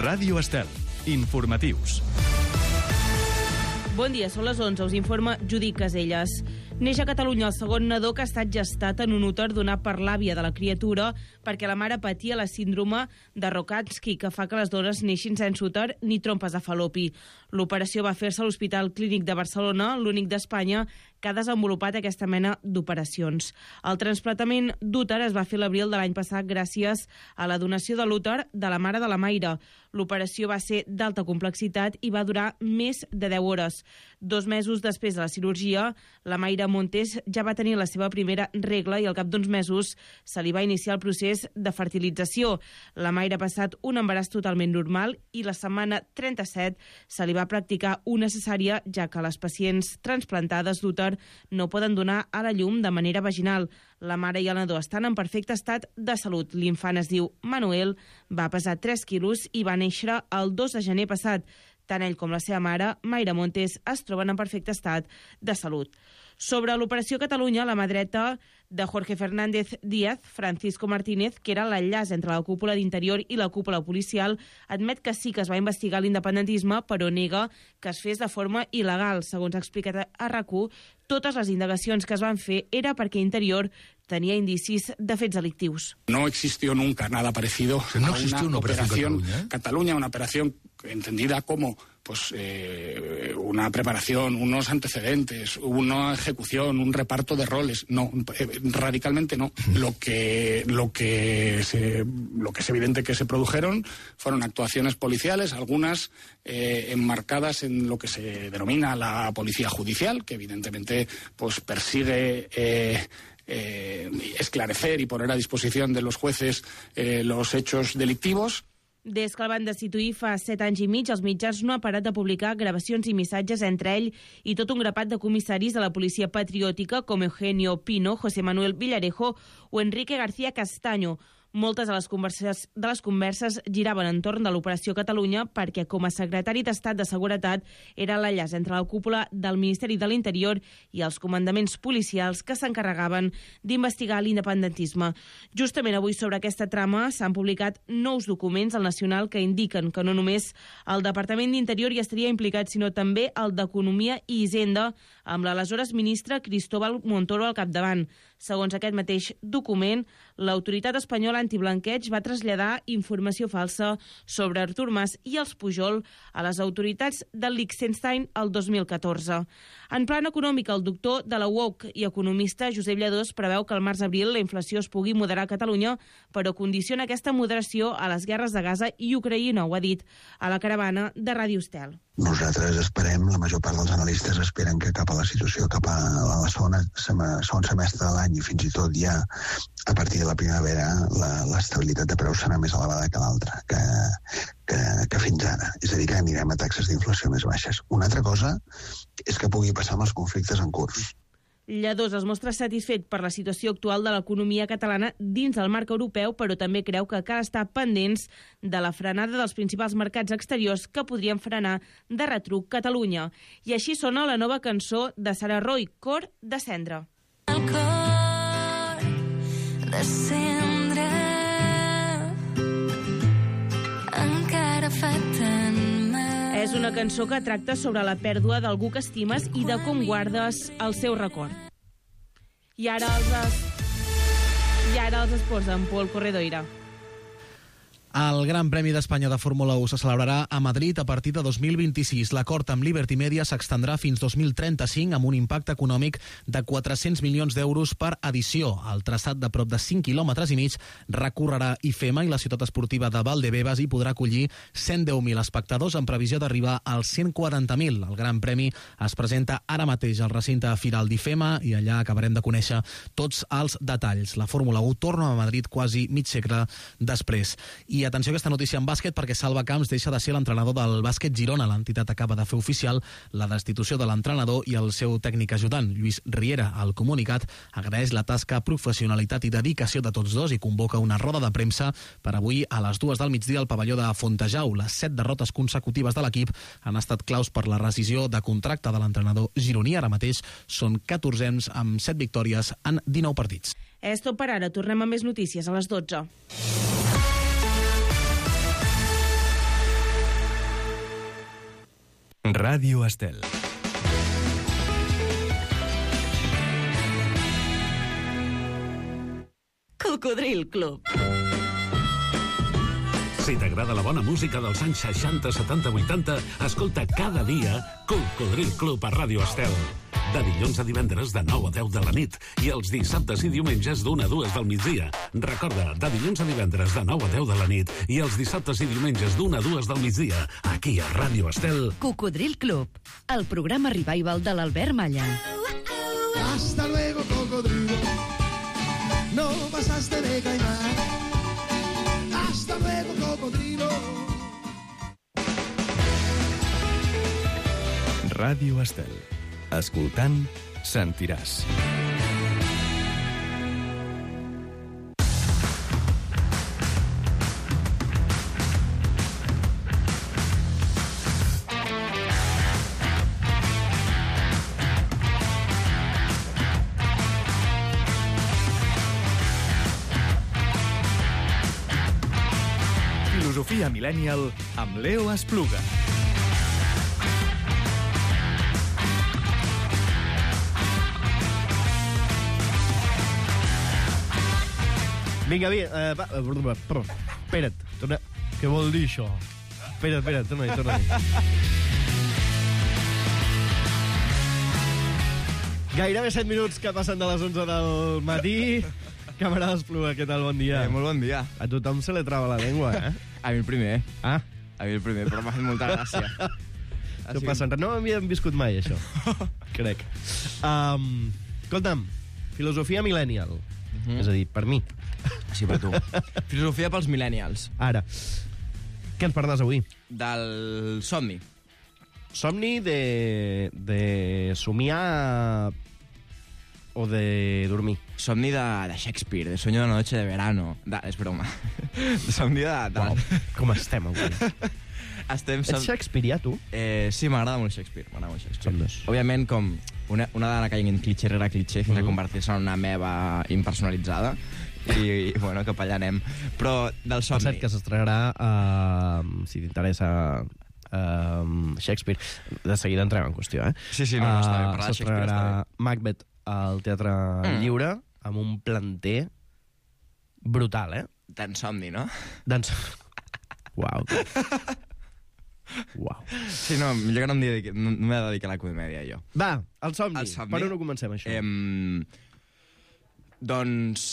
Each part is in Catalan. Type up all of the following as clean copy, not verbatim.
Ràdio Estel. Informatius. Bon dia, són les 11, us informa Judit Caselles. Neix a Catalunya el segon nadó que ha estat gestat en un úter donat per l'àvia de la criatura perquè la mare patia la síndrome de Rokitansky, que fa que les dones neixin sense úter ni trompes de falopi. L'operació va fer-se a l'Hospital Clínic de Barcelona, l'únic d'Espanya que ha desenvolupat aquesta mena d'operacions. El trasplantament d'úter es va fer l'abril de l'any passat gràcies a la donació de l'úter de la mare de la Mayra. L'operació va ser d'alta complexitat i va durar més de 10 hores. 2 mesos després de la cirurgia, la Mayra Montes ja va tenir la seva primera regla i al cap d'uns mesos se li va iniciar el procés de fertilització. La Mayra ha passat un embaràs totalment normal i la setmana 37 se li va practicar una cesària, ja que les pacients transplantades d'úter no poden donar a la llum de manera vaginal. La mare i el nadó estan en perfecte estat de salut. L'infant es diu Manuel, va pesar 3 quilos i va néixer el 2 de gener passat. Tant ell com la seva mare, Mayra Montes, es troben en perfecte estat de salut. Sobre l'Operació Catalunya, la mà dreta de Jorge Fernández Díaz, Francisco Martínez, que era l'enllaç entre la cúpula d'Interior i la cúpula policial, admet que sí que es va investigar l'independentisme, però nega que es fes de forma il·legal. Segons ha explicat a RAC1, totes les indagacions que es van fer era perquè Interior tenía indicis de fets delictius. No existió nunca nada parecido a una operación Cataluña, una operación entendida como una preparación, unos antecedentes, una ejecución, un reparto de roles. No, radicalmente no. Lo que es evidente que se produjeron fueron actuaciones policiales, algunas enmarcadas en lo que se denomina la policía judicial, que evidentemente persigue esclarecer y poner a disposición de los jueces los hechos delictivos. Des que el van destituir fa 7 anys i mig, els mitjans no han parat de publicar gravacions i missatges entre ell i tot un grapat de comissaris de la policia patriòtica com Eugenio Pino, José Manuel Villarejo o Enrique García Castaño. Moltes de les converses giraven entorn de l'Operació Catalunya perquè, com a secretari d'Estat de Seguretat, era l'enllaç entre la cúpula del Ministeri de l'Interior i els comandaments policials que s'encarregaven d'investigar l'independentisme. Justament avui sobre aquesta trama s'han publicat nous documents al Nacional que indiquen que no només el Departament d'Interior hi estaria implicat, sinó també el d'Economia i Hisenda, amb l'aleshores ministre Cristóbal Montoro al capdavant. Segons aquest mateix document, l'autoritat espanyola antiblanqueig va traslladar informació falsa sobre Artur Mas i els Pujol a les autoritats del Liechtenstein el 2014. En plan econòmic, el doctor de la UOC i economista Josep Lladós preveu que al març-abril la inflació es pugui moderar a Catalunya, però condiciona aquesta moderació a les guerres de Gaza i Ucraïna, ho ha dit a la caravana de Ràdio Estel. Nosaltres esperem, la major part dels analistes esperen que cap a la situació, cap a la segon semestre de l'any i fins i tot ja a partir de la primavera l'estabilitat de preus serà més elevada que l'altra, que fins ara. És a dir, que anirem a taxes d'inflació més baixes. Una altra cosa és que pugui passar amb els conflictes en curs. Lladós es mostra satisfet per la situació actual de l'economia catalana dins del marc europeu, però també creu que cal estar pendents de la frenada dels principals mercats exteriors que podrien frenar de retruc Catalunya. I així sona la nova cançó de Sara Roy, Cor de cendra. El cor de cendra encara fa tant mal. És una cançó que tracta sobre la pèrdua d'algú que estimes i de com guardes el seu record. I ara els esports amb Pol Corredoira. El Gran Premi d'Espanya de Fórmula 1 se celebrarà a Madrid a partir de 2026. L'acord amb Liberty Media s'extendrà fins 2035 amb un impacte econòmic de 400 milions d'euros per edició. El traçat de prop de 5 quilòmetres i mig recorrerà IFEMA i la ciutat esportiva de Valdebebas i podrà acollir 110.000 espectadors en previsió d'arribar als 140.000. El Gran Premi es presenta ara mateix al recinte firal d'IFEMA i allà acabarem de conèixer tots els detalls. La Fórmula 1 torna a Madrid quasi mig segle després. I atenció a aquesta notícia en bàsquet perquè Salva Camps deixa de ser l'entrenador del bàsquet Girona. L'entitat acaba de fer oficial la destitució de l'entrenador i el seu tècnic ajudant, Lluís Riera. El comunicat agraeix la tasca, professionalitat i dedicació de tots dos i convoca una roda de premsa per avui a les 2 del migdia al pavelló de Fontejau. Les 7 derrotes consecutives de l'equip han estat claus per la rescisió de contracte de l'entrenador gironí. Ara mateix són 14ens amb 7 victòries en 19 partits. És tot per ara. Tornem a més notícies a les 12. Ràdio Estel. Cocodril Club. Si t'agrada la bona música dels anys 60, 70, 80, escolta cada dia Cocodril Club a Ràdio Estel. De dilluns a divendres de 9 a 10 de la nit i els dissabtes i diumenges d'1 a 2 del migdia. Recorda, de dilluns a divendres de 9 a 10 de la nit i els dissabtes i diumenges d'1 a 2 del migdia, aquí a Ràdio Estel. Cocodril Club, el programa revival de l'Albert Malla. Hasta luego, cocodrilo. No pasaste de caimán. Hasta luego, cocodrilo. Ràdio Estel. Escoltant, sentiràs. Filosofia Millennial amb Leo Espluga. Vinga, espera't, torna... Què vol dir això? Espera't, torna-hi. Gairebé 7 minuts que passen de les 11 del matí. Camarada Espluga, què tal? Bon dia. Molt bon dia. A tothom se li trava la llengua, eh? A mi el primer. Ah? A mi el primer, però m'ha fet molta gràcia. Això passa, no m'havíem viscut mai, això. Crec. Escolta'm, filosofia millennial. És a dir, per mi. Sí, per tu. Filosofia pels millennials. Ara. Què ens parles avui? Del somni. Somni de somiar o de dormir? Somni de Shakespeare, de sueño de una noche de verano. És broma. Somni de... Wow, com estem avui? Ets shakespearià, tu? Sí, m'agrada molt Shakespeare. Som dos. Òbviament, com una dona caient en clitxer rere clitxer fins a convertir-se en una meva impersonalitzada. I bueno, cap allà anem. Però del somni... Per cert, que s'estrenarà, si t'interessa, Shakespeare. De seguida entrem en qüestió, eh? Sí, no, està bé. Parlar de Shakespeare està bé. Macbeth al Teatre Lliure, amb un planter brutal, eh? D'en somni, no? Uau. Uau. Sí, no, millor que no m'he de dedicar a la comèdia, jo. Va, el somni. Per on ho comencem, això? Doncs,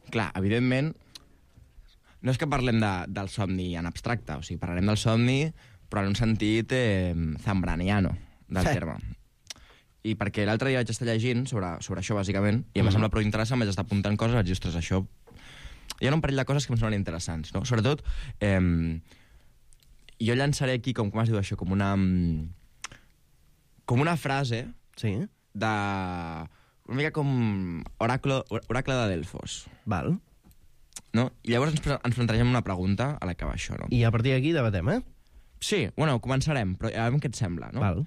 clar, evidentment, no és que parlem del somni en abstracte, o sigui, parlarem del somni, però en un sentit zambraniano del terme. I perquè l'altre dia vaig estar llegint sobre això, bàsicament, i em va semblar prou interessant, vaig estar apuntant coses, vaig dir, ostres, això... Hi ha un parell de coses que em semblen interessants, no? Sobretot, jo llançaré aquí, com es diu això, com una frase de... Una mica com oracle de Delfos. Val. No? I llavors ens plantegem una pregunta a la que va això, no? I a partir d'aquí debatem, eh? Sí, bueno, començarem, però a veure què et sembla, no? Val.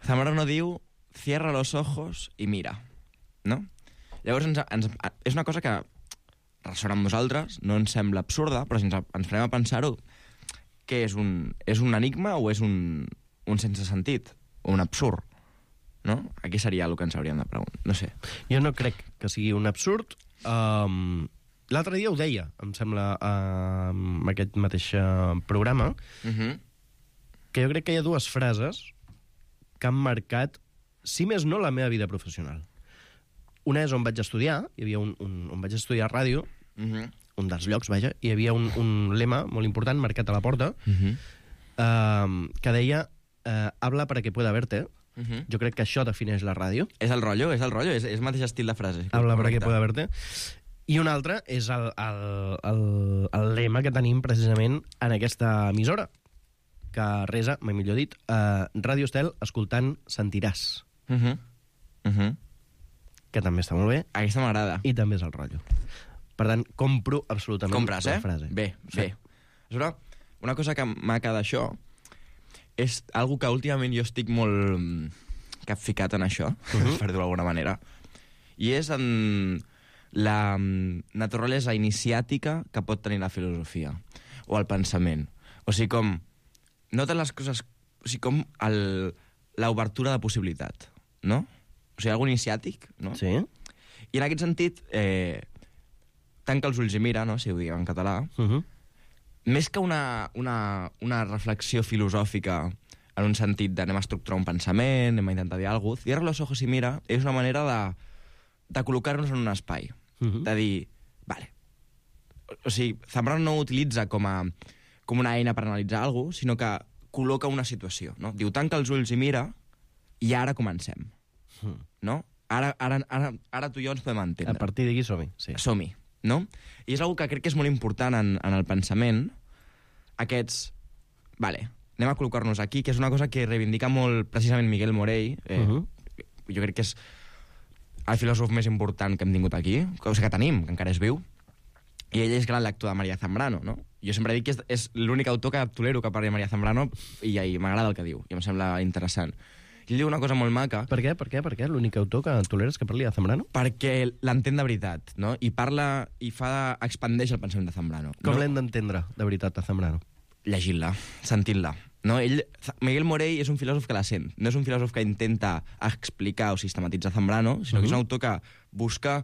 Zamorano diu, cierra los ojos i mira, no? Llavors és una cosa que ressona amb nosaltres, no ens sembla absurda, però si ens farem a pensar-ho, què és un enigma o és un sense sentit? O un absurd? No? Aquí seria el que ens hauríem de preguntar. No sé. Jo no crec que sigui un absurd. L'altre dia ho deia, em sembla, en aquest mateix programa, que jo crec que hi ha dues frases que han marcat, si més no, la meva vida professional. Una és on vaig estudiar, hi havia on vaig estudiar ràdio, un dels llocs, vaja, hi havia un lema molt important marcat a la porta, que deia habla para que pueda verte. Jo crec que això defineix la ràdio. És el rotllo, és el mateix estil de frase. Habla para que pueda verte. I un altre és el lema que tenim precisament en aquesta emissora, que resa, mai millor dit, Ràdio Estel, escoltant, sentiràs. Que també està molt bé. Aquesta m'agrada. I també és el rotllo. Per tant, compro absolutament la frase. Bé. És una cosa que maca d'això és algo que últimament jo estic molt capficat en això, per dir-ho d'alguna manera, i és en la naturalesa iniciàtica que pot tenir la filosofia o el pensament. O sigui, com no totes les coses com l'obertura de possibilitat, no? O sigui, algo iniciàtic, no? Sí. I en aquest sentit, tanca els ulls i mira, no? Si ho diguem en català, més que una reflexió filosòfica en un sentit de anem a estructurar un pensament, anem a intentar dir alguna cosa, cierra los ojos i mira és una manera de col·locar-nos en un espai, de dir, vale, o sigui, Zambrano no ho utilitza com una eina per analitzar alguna cosa, sinó que col·loca una situació, no? Diu, tanca els ulls i mira, i ara comencem, no? Ara tu i jo ens podem entendre. A partir d'aquí som-hi, sí. Som-hi, no? I és una que crec que és molt important en el pensament, aquests, vale, anem a col·locar-nos aquí, que és una cosa que reivindica molt precisament Miguel Morell, jo crec que és el filòsof més important que hem tingut aquí, o sigui, que tenim, que encara és viu, i ell és gran lector de María Zambrano, no? Jo sempre dic que és l'únic autor que tolero que parli de María Zambrano i m'agrada el que diu, i em sembla interessant. I ell diu una cosa molt maca... Per què? L'únic autor que toleres que parli de Zambrano? Perquè l'entén de veritat, no? I parla, expandeix el pensament de Zambrano. Com l'hem d'entendre, de veritat, a Zambrano? Llegint-la, sentint-la. No? Miguel Morell és un filòsof que la sent. No és un filòsof que intenta explicar o sistematitzar Zambrano, sinó que és un autor que busca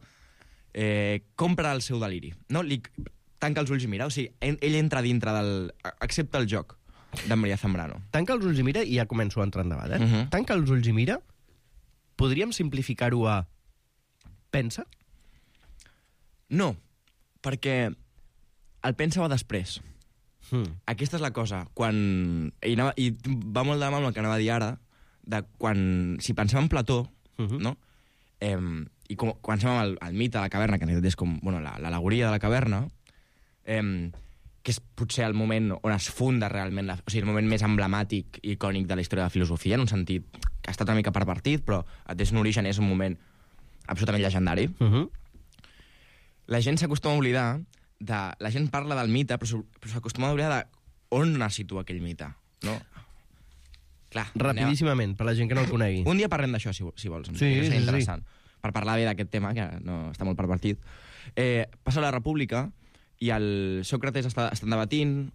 compra el seu deliri. No? Tanca els ulls i mira. O sigui, ell entra dintre accepta el joc de María Zambrano. Tanca els ulls i mira, i ja començo a entrar en debat, Tanca els ulls i mira, podríem simplificar-ho a pensa? No, perquè el pensa va després. Aquesta és la cosa. I va molt de mà amb el que anava a dir ara, de si pensem en Plató, no? I quan pensem en el mite de la caverna, que en realitat és com l'al·legoria de la caverna, que és potser el moment on es funda realment, o sigui, el moment més emblemàtic i icònic de la història de la filosofia, en un sentit que ha estat una mica pervertit, però des d'un origen és un moment absolutament llegendari. La gent s'acostuma a oblidar la gent parla del mite, però s'acostuma a oblidar d'on es situa aquell mite, no? Clar, rapidíssimament, per la gent que no el conegui. Un dia parlem d'això, si vols. Sí. Interessant. Per parlar bé d'aquest tema, que no està molt pervertit. Passa la República i el Sòcrates estan debatint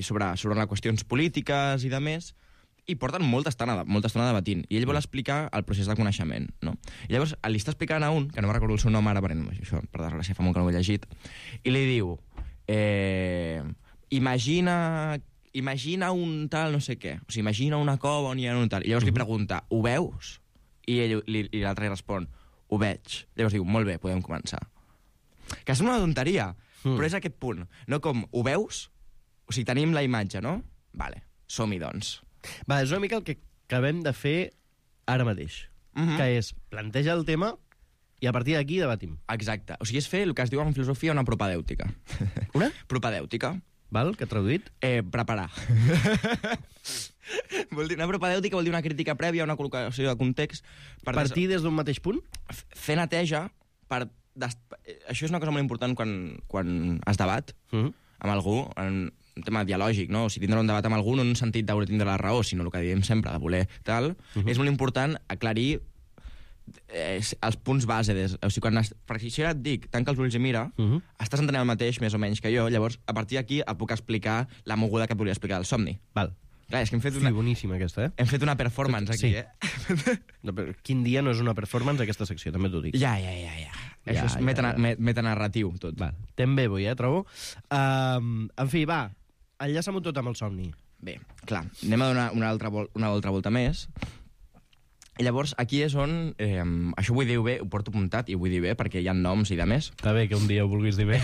sobre qüestions polítiques i de més, i porten molta estona debatint. I ell vol explicar el procés de coneixement, no? I llavors li està explicant a un, que no me recordo el seu nom ara, per desgràcia fa molt que no ho he llegit, i li diu, imagina un tal no sé què, o sigui, imagina una cova on hi ha un tal, i llavors li pregunta, ho veus? I l'altre li respon, ho veig. Llavors diu, molt bé, podem començar. Que és una tonteria, però és aquest punt. No com, ho veus? O sigui, tenim la imatge, no? Vale, som-hi, doncs. Va, és una mica el que acabem de fer ara mateix, que és plantejar el tema i a partir d'aquí debatim. Exacte. O sigui, és fer el que es diu en filosofia una propedèutica. Una? Propedèutica. Val, que traduït? Preparar. Una propedèutica vol dir una crítica prèvia, una col·locació de context. Partir des d'un mateix punt? Fer neteja per... Això és una cosa molt important quan es debat amb algú, en un tema dialògic, no? O sigui, tindre un debat amb algú no en un sentit de voler tindre la raó, sinó el que diem sempre, de voler tal, és molt important aclarir els punts base. O sigui, perquè si ara et dic, tanca els ulls i mira, estàs entenent el mateix, més o menys, que jo, llavors, a partir d'aquí et puc explicar la moguda que et volia explicar del somni. Val. Clar, és que hem fet boníssima, aquesta, Hem fet una performance aquí, No, però quin dia no és una performance, aquesta secció, també t'ho dic. Ja. Això és metanarratiu, tot. Val. Ten bé, trobo. En fi, va, enllaça-m'ho tot amb el somni. Bé, clar, anem a donar una altra volta més. I llavors, aquí és on... això ho vull dir bé, ho porto apuntat i ho vull dir bé, perquè hi ha noms i de més. Està bé que un dia ho vulguis dir bé.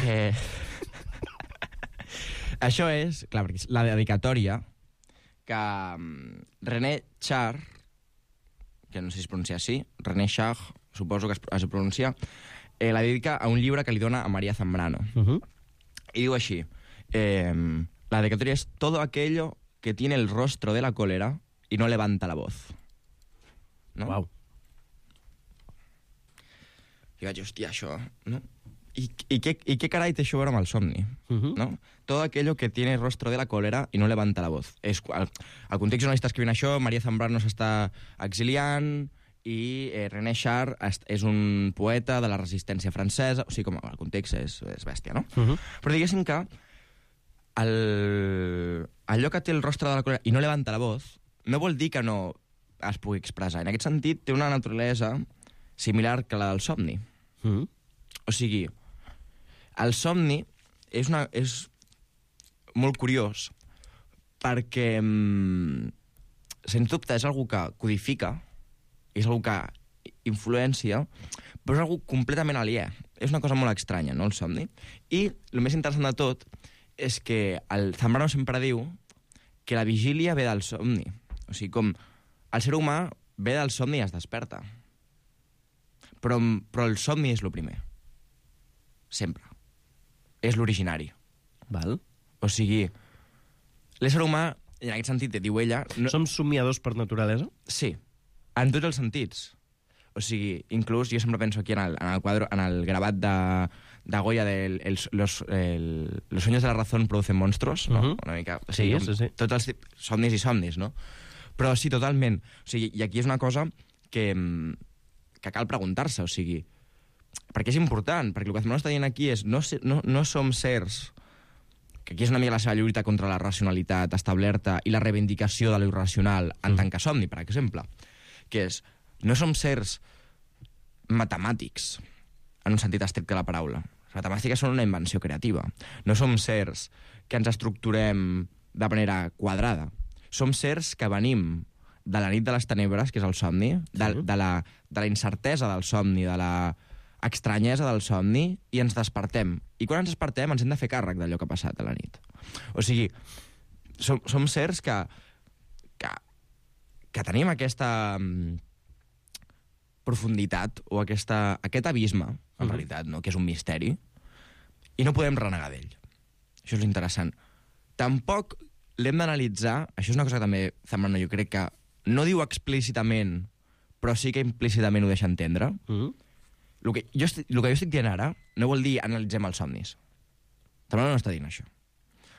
Això és, clar, perquè és la dedicatòria que René Char, que no sé si es pronuncia així, René Char, suposo que es pronuncia, la dedica a un llibre que li dona a María Zambrano. I diu així, la dedicatoria es todo aquello que tiene el rostro de la cólera y no levanta la voz. No? Uau. I vaig, hòstia, això, no? I què carai té això a veure amb el somni? No? Todo aquello que tiene el rostro de la cólera y no levanta la voz. El context on està escrivint això, María Zambrano s'està exiliant i René Char és un poeta de la resistència francesa, o sigui, com el context és bèstia, no? Però diguéssim que allò que té el rostre de la cólera i no levanta la voz no vol dir que no es pugui expressar. En aquest sentit, té una naturalesa similar que la del somni. O sigui, el somni és molt curiós perquè, sens dubte, és algú que codifica, és algú que influència, però és algú completament aliè. És una cosa molt estranya, no?, el somni. I el més interessant de tot és que el Zambrano sempre diu que la vigília ve del somni. O sigui, com el ser humà ve del somni i es desperta. Però el somni és el primer. Sempre. És l'originari. Val. O sigui, l'ésser humà, en aquest sentit, diu ella... Som somiadors per naturalesa? Sí, en tots els sentits. O sigui, inclús jo sempre penso aquí en el quadre, en el gravat de Goya de los sueños de la razón producen monstruos, no? Una mica... O sigui, sí. Tots els somnis i somnis, no? Però sí, totalment. O sigui, i aquí és una cosa que cal preguntar-se, o sigui, perquè és important, perquè el que Zambrano està dient aquí és no som sers, que aquí és una mica la seva lluita contra la racionalitat establerta i la reivindicació de l'irracional en tant que somni, per exemple, que és, no som sers matemàtics, en un sentit estricte de la paraula. Les matemàtiques són una invenció creativa. No som sers que ens estructurem de manera quadrada. Som sers que venim de la nit de les tenebres, que és el somni, de la incertesa del somni, de la estranyesa del somni, i ens despertem. I quan ens despertem ens hem de fer càrrec d'allò que ha passat a la nit. O sigui, som sers que tenim aquesta profunditat o aquest abisme, en realitat, no? Que és un misteri, i no podem renegar d'ell. Això és interessant. Tampoc l'hem d'analitzar, això és una cosa que també Zambrano jo crec que no diu explícitament, però sí que implícitament ho deixa entendre. El que jo estic dient ara no vol dir analitzem els somnis. Zambrano no està dient això.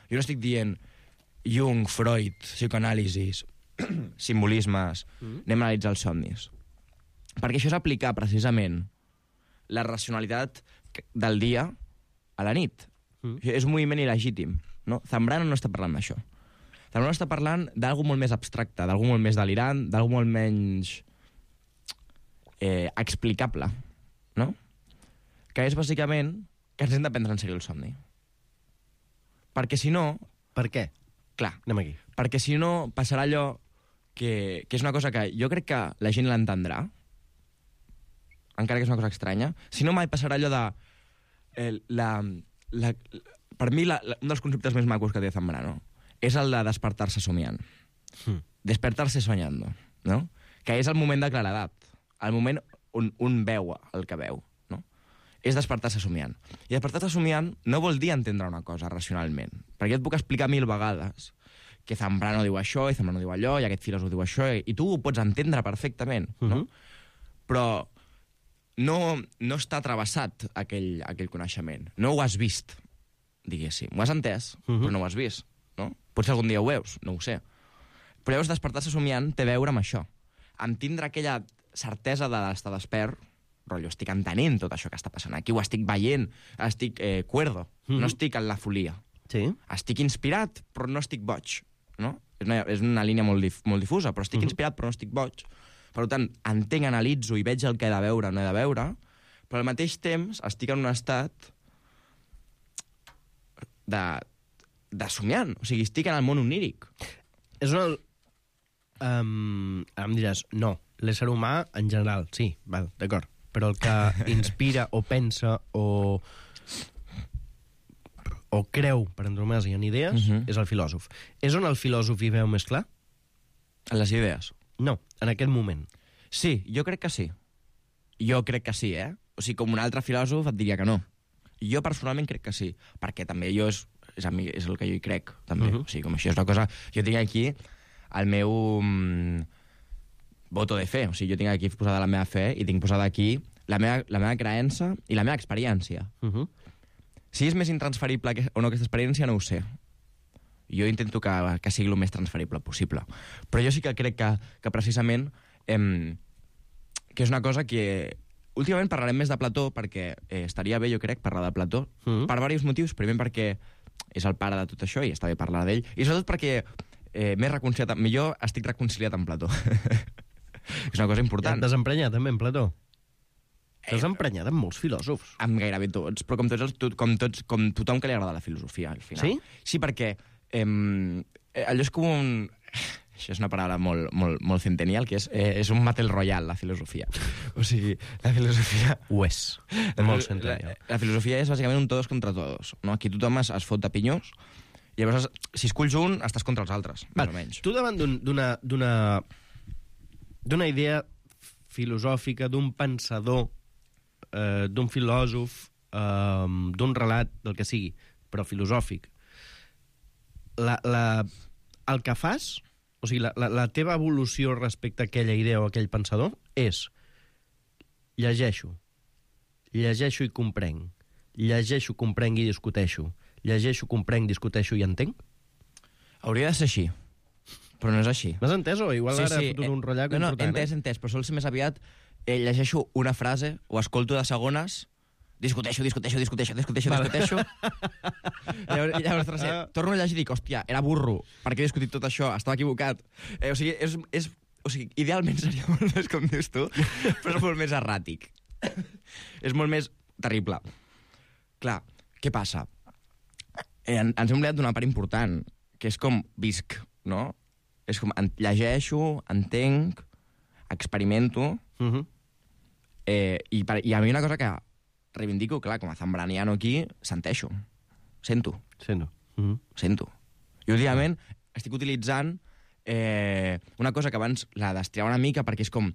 Jo no estic dient Jung, Freud, psicoanàlisis, simbolismes, anem a analitzar els somnis. Perquè això és aplicar precisament la racionalitat del dia a la nit. És un moviment il·legítim. No? Zambrano no està parlant d'això. Zambrano està parlant d'algú molt més abstracte, d'algú molt més delirant, d'algú molt menys explicable, no? Que és bàsicament que ens hem de prendre en sèrio el somni. Perquè si no... Per què? Clar. Anem aquí. Perquè si no passarà allò que és una cosa que jo crec que la gent l'entendrà, encara que és una cosa estranya. Si no, mai passarà allò de... per mi, un dels conceptes més macos que té Zambrano és el de despertar-se somiant. Despertar-se soñando, no? Que és el moment de claredat, el moment on un veu el que veu, no? És despertar-se somiant. I despertar-se somiant no vol dir entendre una cosa racionalment, perquè jo et puc explicar 1000 vegades que Zambrano diu això, i Zambrano diu allò, i aquest filòsof diu això, i tu ho pots entendre perfectament, no? Però no està travessat aquell coneixement. No ho has vist, diguéssim. Ho has entès, però no ho has vist, no? Potser algun dia ho veus, no ho sé. Però llavors despertar-se somiant té a veure amb això. Amb tindre aquella certesa d'estar despert, rotllo, estic entenent tot això que està passant aquí, ho estic veient, estic cuerdo, no estic en la folia. Sí. Estic inspirat, però no estic boig, no? És una línia molt difusa, però estic inspirat, però no estic boig. Per tant, entenc, analitzo i veig el que he de veure o no he de veure, però al mateix temps estic en un estat de somiant. O sigui, estic en el món oníric. És una... ara em diràs, no, l'ésser humà en general, sí, val, d'acord, però el que inspira o pensa o creu, per antonomàsia, en idees, és el filòsof. És on el filòsof hi veu més clar? En les idees. No, en aquest moment. Sí, jo crec que sí. Jo crec que sí, eh? O sigui, com un altre filòsof et diria que no. Jo personalment crec que sí, perquè també jo és el que jo hi crec, també. O sigui, com això és una cosa... Jo tinc aquí el meu voto de fe. O sigui, jo tinc aquí posada la meva fe i tinc posada aquí la meva creença i la meva experiència. Si és més intransferible o no aquesta experiència, no ho sé. Jo intento que sigui el més transferible possible. Però jo sí que crec que precisament que és una cosa que... Últimament parlarem més de Plató perquè estaria bé, jo crec, parlar de Plató per diversos motius. Primer perquè és el pare de tot això i està bé parlar d'ell. I sobretot perquè més reconciliat... Millor estic reconciliat amb Plató. És una cosa important. Ja et desemprenyat també amb Plató. T'has emprenyat amb molts filòsofs. Amb gairebé tots, però com tothom que li agrada la filosofia, al final. Sí? Sí, perquè allò és com un... Això és una paraula molt centennial, que és un Battle Royale, la filosofia. O sigui, la filosofia... Ho és. Molt centennial. La filosofia és bàsicament un todos contra todos. No? Aquí tothom es fot de pinyós, i llavors, si esculls un, estàs contra els altres, més o menys. Tu davant d'una idea filosòfica, d'un pensador, d'un filòsof, d'un relat, del que sigui, però filosòfic, el que fas, o sigui, la teva evolució respecte a aquella idea o a aquell pensador és llegeixo i comprenc, llegeixo, comprenc i discuteixo, llegeixo, comprenc, discuteixo i entenc? Hauria de ser així, però no és així. M'has entès o igual ara he fotut un rotllat important? No, entès, però sol ser més aviat llegeixo una frase o escolto de segones, discuteixo. Llavors, torno a llegir i dic, hòstia, era burro, per què he discutit tot això? Estava equivocat. O sigui, idealment seria molt més com dius tu, però és molt més erràtic. És molt més terrible. Clar, què passa? Ens hem oblidat d'una part important, que és com visc, no? És com llegeixo, entenc, experimento, i a mi una cosa que reivindico, clar, com a zambraniano aquí, sento. I últimament estic utilitzant una cosa que abans la destriava una mica, perquè és com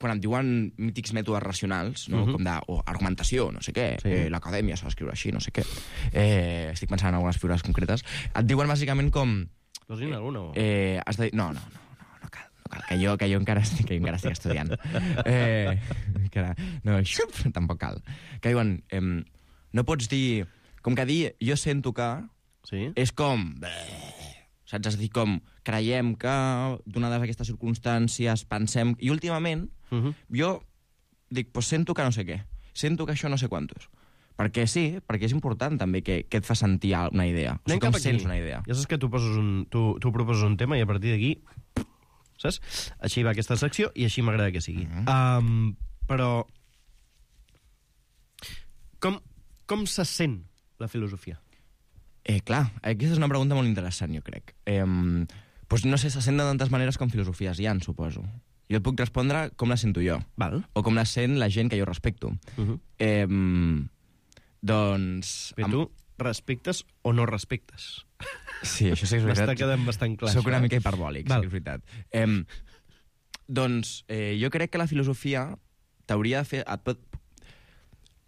quan em diuen mítics mètodes racionals, no? Com d'argumentació, no sé què, l'acadèmia s'ha d'escriure així, no sé què. Estic pensant en algunes figures concretes. Et diuen bàsicament com... Vols dir alguna? Has de dir... No cal, que jo encara estic estudiant. Tampoc cal. Que diuen, no pots dir... Com que dir jo sento que... És com... Saps? És a dir, com creiem que, donades aquestes circumstàncies, pensem... I últimament, jo dic, pues sento que no sé què. Sento que això no sé quantos. Perquè sí, perquè és important també que et fa sentir una idea. O sigui, com sents una idea. Ja saps que tu proposes un tema i a partir d'aquí... Saps? Així va aquesta secció i així m'agrada que sigui. Però... Com se sent la filosofia? Clar, aquesta és una pregunta molt interessant, jo crec. Pues no sé, se sent de tantes maneres com filosofies hi ha, suposo. Jo et puc respondre com la sento jo. Val. O com la sent la gent que jo respecto. Doncs... Però tu respectes o no respectes? Sí, això sí que és veritat. M'està quedant bastant clar. Soc una mica hiperbòlic, sí que és veritat. Doncs jo crec que la filosofia t'hauria de fer...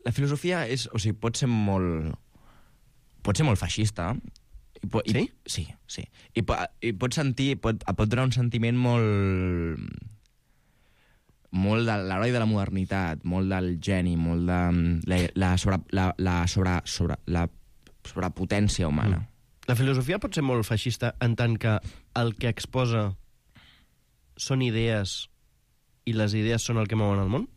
La filosofia és... O sigui, pot ser molt feixista. Sí? Sí. I pot sentir... Et pot donar un sentiment molt de l'heroi de la modernitat, molt del geni, molt de la sobrepotència humana. La filosofia pot ser molt feixista en tant que el que exposa són idees i les idees són el que mouen el món?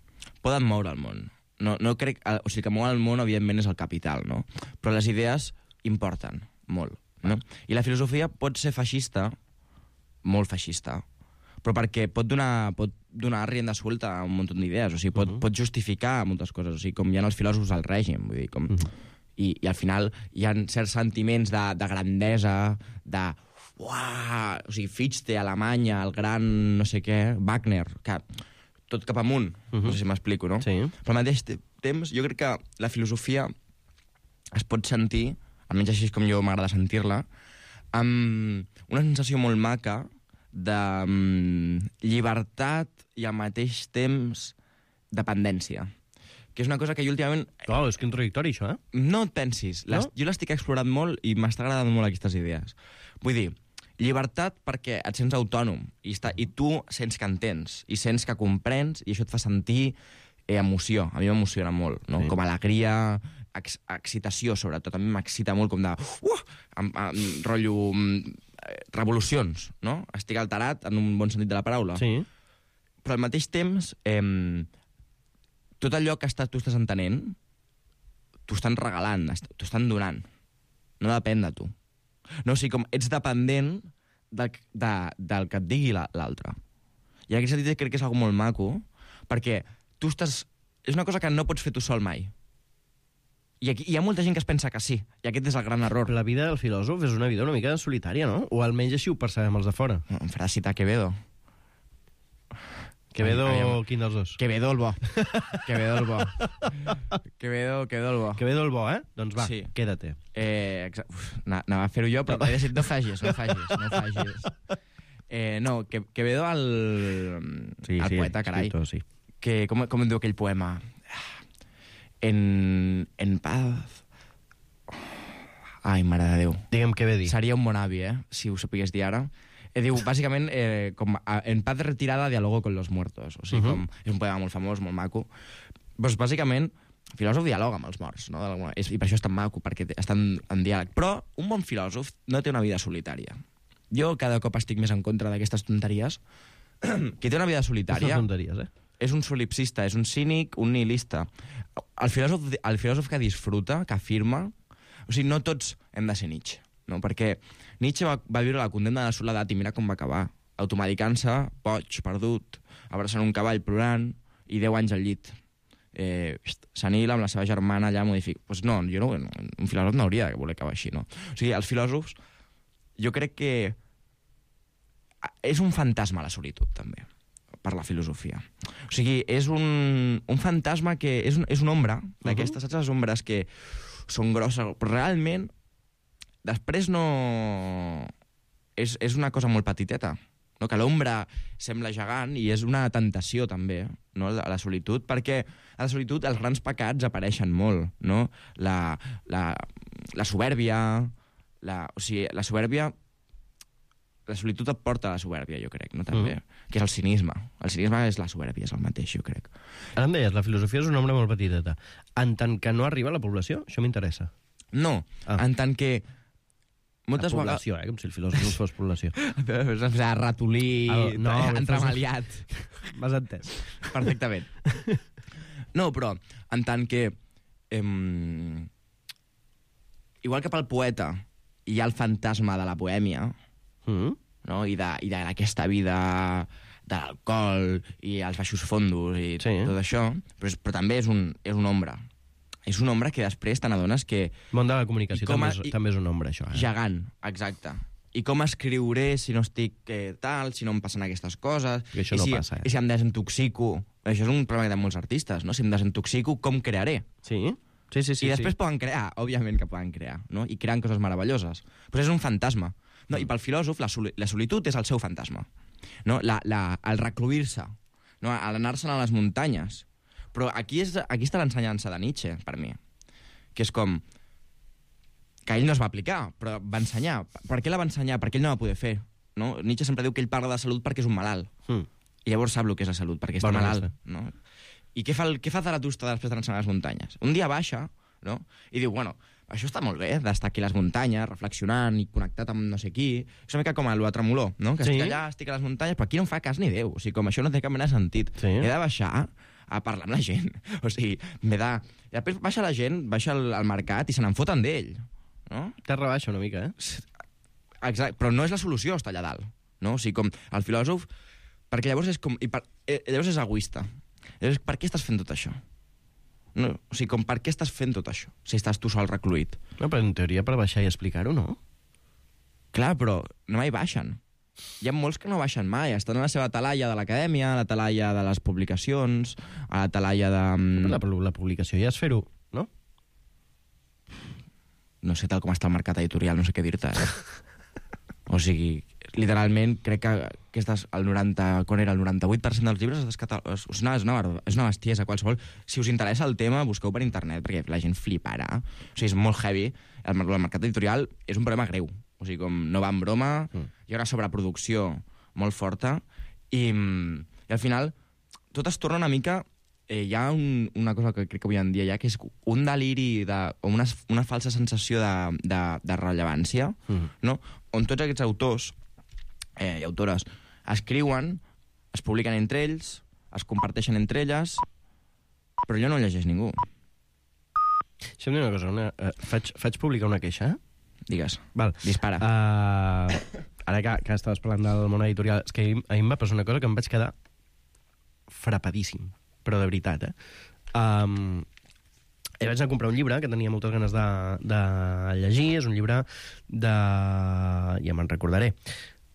Poden moure el món. No crec... O sigui, que mou el món, evidentment, és el capital, no? Però les idees importen molt, no? I la filosofia pot ser feixista, molt feixista, però perquè pot donar rienda suelta a un munt d'idees, o sigui, pot justificar moltes coses, o sigui, com hi ha els filòsofs al règim, vull dir, com... I al final hi ha certs sentiments de grandesa, de... Uah! O sigui, Fichte, Alemanya, el gran no sé què, Wagner, que... tot cap amunt, no sé si m'explico, no? Sí. Però al mateix temps, jo crec que la filosofia es pot sentir, almenys així és com jo m'agrada sentir-la, amb una sensació molt maca de llibertat i al mateix temps dependència. Que és una cosa que jo últimament... Clar, és contradictori, això, eh? No et pensis. No? Jo l'estic explorant molt i m'està agradant molt aquestes idees. Vull dir, llibertat perquè et sents autònom i tu sents que entens i sents que comprens i això et fa sentir emoció. A mi m'emociona molt, no? Sí. Com alegria, excitació, sobretot. A mi m'excita molt com de... rotllo... revolucions, no? Estic alterat en un bon sentit de la paraula. Sí. Però al mateix temps, tot allò que tu estàs entenent, t'ho estan regalant, t'ho estan donant. No depèn de tu. No, o sigui, com ets dependent del que et digui l'altre. I en aquest sentit crec que és algo molt maco, perquè tu estàs... És una cosa que no pots fer tu sol mai. I aquí hi ha molta gent que es pensa que sí, i aquest és el gran error. La vida del filòsof és una vida una mica solitària, no? O almenys així ho percebem els de fora. Em farà citar Quevedo. Quevedo, quin dels dos? Quevedo el bo. Quevedo el bo. Quevedo el bo. Quevedo el bo, eh? Doncs va, sí. Quédate. Anava a fer-ho jo, però m'he decidit no facis. No, Quevedo el poeta, carai. Escriptor, sí. Que, com en diu aquell poema? En paz... Ai, mare de Déu. Digue'm què ve dir. Seria un bon avi, si ho sapigués dir ara. Diu, bàsicament, en paz retirada dialogo con los muertos. O sigui, és un poema molt famós, molt maco. Doncs, bàsicament, el filòsof dialoga amb els morts, no? I per això és tan maco, perquè estan en diàleg. Però un bon filòsof no té una vida solitària. Jo cada cop estic més en contra d'aquestes tonteries. Qui té una vida solitària... Aquestes tonteries, és un solipsista, és un cínic, un nihilista. El filòsof que disfruta, que afirma... O sigui, no tots hem de ser Nietzsche, no? Perquè Nietzsche va viure la condemna de la soledat i mira com va acabar. Automedicant-se, boig, perdut, abraçant un cavall plorant i 10 anys al llit. Senil amb la seva germana allà modifica... Pues no, un filòsof no hauria de voler acabar així, no? O sigui, els filòsofs, jo crec que és un fantasma la solitud, també, per la filosofia. O sigui, és un fantasma que... És una ombra d'aquestes, saps les ombres que són grosses, però realment després no... És una cosa molt petiteta, no? Que l'ombra sembla gegant i és una tentació també, no? A la solitud, perquè a la solitud els grans pecats apareixen molt, no? La soberbia, o sigui, la soberbia... La solitud et porta a la soberbia, jo crec, no? També, que és el cinisme. El cinisme és la soberbia, és el mateix, jo crec. Ara em deies, la filosofia és una ombra molt petiteta. En tant que no arriba a la població, això m'interessa. No, en tant que... Moltes la població, com si el filòsof no fos població. Ratolí, entremaliat. M'has entès. Perfectament. No, però en tant que... igual que pel poeta hi ha el fantasma de la bohèmia, no? I d'aquesta vida de l'alcohol i els baixos fondos i tot això, però també és una ombra. És una ombra que després te n'adones que... El món de la comunicació també és una ombra, això. Gegant, exacte. I com escriuré si no estic tal, si no em passen aquestes coses... I això no passa, I si em desintoxico... Això és un problema de molts artistes, no? Si em desintoxico, com crearé? Sí. I després poden crear, òbviament que poden crear, no? I creen coses meravelloses. Però és un fantasma. No? I pel filòsof, la solitud és el seu fantasma. No? El recluir-se, no? L'anar-se'n a les muntanyes. Però aquí està l'ensenyança de Nietzsche, per mi. Que és com... Que ell no es va aplicar, però va ensenyar. Per què la va ensenyar? Perquè ell no va poder fer. No? Nietzsche sempre diu que ell parla de salut perquè és un malalt. I llavors sap el que és la salut, perquè està malalt. No? I què fa Zaratustra després d'anar a les muntanyes? Un dia baixa, no? I diu, bueno, això està molt bé, d'estar aquí a les muntanyes, reflexionant i connectat amb no sé qui. És una mica com el Tremolor, no? Que estic allà, estic a les muntanyes, però aquí no em fa cas ni Déu. O sigui, com això no té cap mena de sentit. He de baixar a parlar amb la gent. O sigui, m'he de... I després baixa la gent, baixa al mercat i se n'enfoten d'ell. No? Terra baixa una mica, Exacte, però no és la solució estar allà dalt. No? O sigui, com el filòsof... Perquè llavors és com... Llavors és egoista. Llavors, per què estàs fent tot això? No, o sigui, com per què estàs fent tot això, si estàs tu sol recluït? No, però en teoria per baixar i explicar-ho, no? Clar, però no mai baixen. Hi ha molts que no baixen mai. Estan a la seva talaia de l'acadèmia, a la talaia de les publicacions, a la talaia de... La publicació ja és fer-ho, no? No sé tal com està el mercat editorial, no sé què dir-te. O sigui, literalment, crec que el 98% dels llibres és una bestiesa qualsevol. Si us interessa el tema, busqueu per internet, perquè la gent fliparà. O sigui, és molt heavy. El mercat editorial és un problema greu. O sigui, com no va en broma, hi ha una sobreproducció molt forta, i al final tot es torna una mica... Hi ha una cosa que crec que avui en dia hi ha, que és un deliri o una falsa sensació de rellevància, no? On tots aquests autors i autores escriuen, es publiquen entre ells, es comparteixen entre elles, però allò no ho llegeix ningú. Deixa'm dir una cosa, faig publicar una queixa? Digues, val. Dispara. ara que estaves parlant del món editorial, és que ahir em va passar una cosa que em vaig quedar frapadíssim, però de veritat, vaig anar a comprar un llibre que tenia moltes ganes de llegir. És un llibre de... ja me'n recordaré.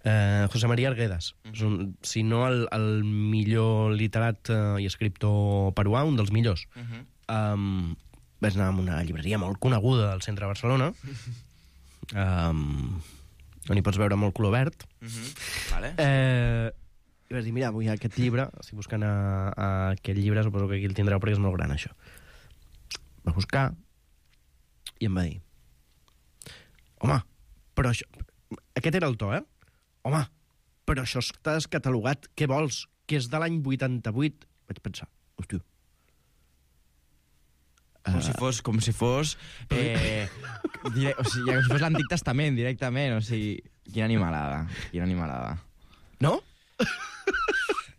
José María Arguedas. Si no el millor literat i escriptor peruà, un dels millors. Vaig anar a una llibreria molt coneguda al centre de Barcelona, on hi pots veure molt color verd. Vale. I vaig dir, mira, vull aquest llibre. Estic buscant aquest llibre, suposo que aquí el tindreu perquè és molt gran, això. Va buscar i em va dir, home, però això... Aquest era el to, Home, però això està descatalogat, què vols? Que és de l'any 88? Vaig pensar, hòstia. Com si fos... com si fos l'Antic Testament, directament. O sigui, quina animalada. No?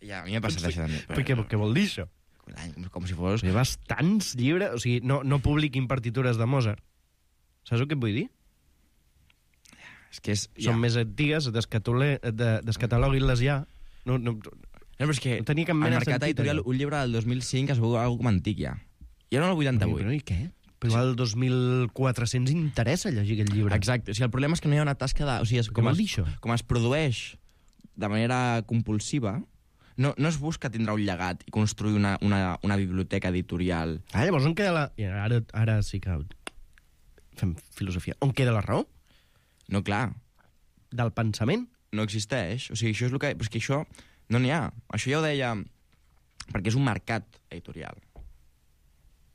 Ja, a mi m'ha passat això també. Per què vol dir això? Com si fos... Hi ha bastants llibres... O sigui, no publiquin partitures de Mozart. Saps el que et vull dir? És que són més antigues, descatalogui-les ja. No, però és que no tenia cap mena de sentit. Al mercat editorial, un llibre del 2005 es veu alguna com antic ja. I ara no el 88. Però i què? Però al 2400 interessa llegir aquest llibre. Exacte. O sigui, el problema és que no hi ha una tasca de... O sigui, com es produeix de manera compulsiva, no es busca tindre un llegat i construir una biblioteca editorial. Llavors on queda la... Ara sí que fem filosofia. On queda la raó? No, clar. Del pensament? No existeix. O sigui, això és el que... Però és que això no n'hi ha. Això ja ho deia... Perquè és un mercat editorial.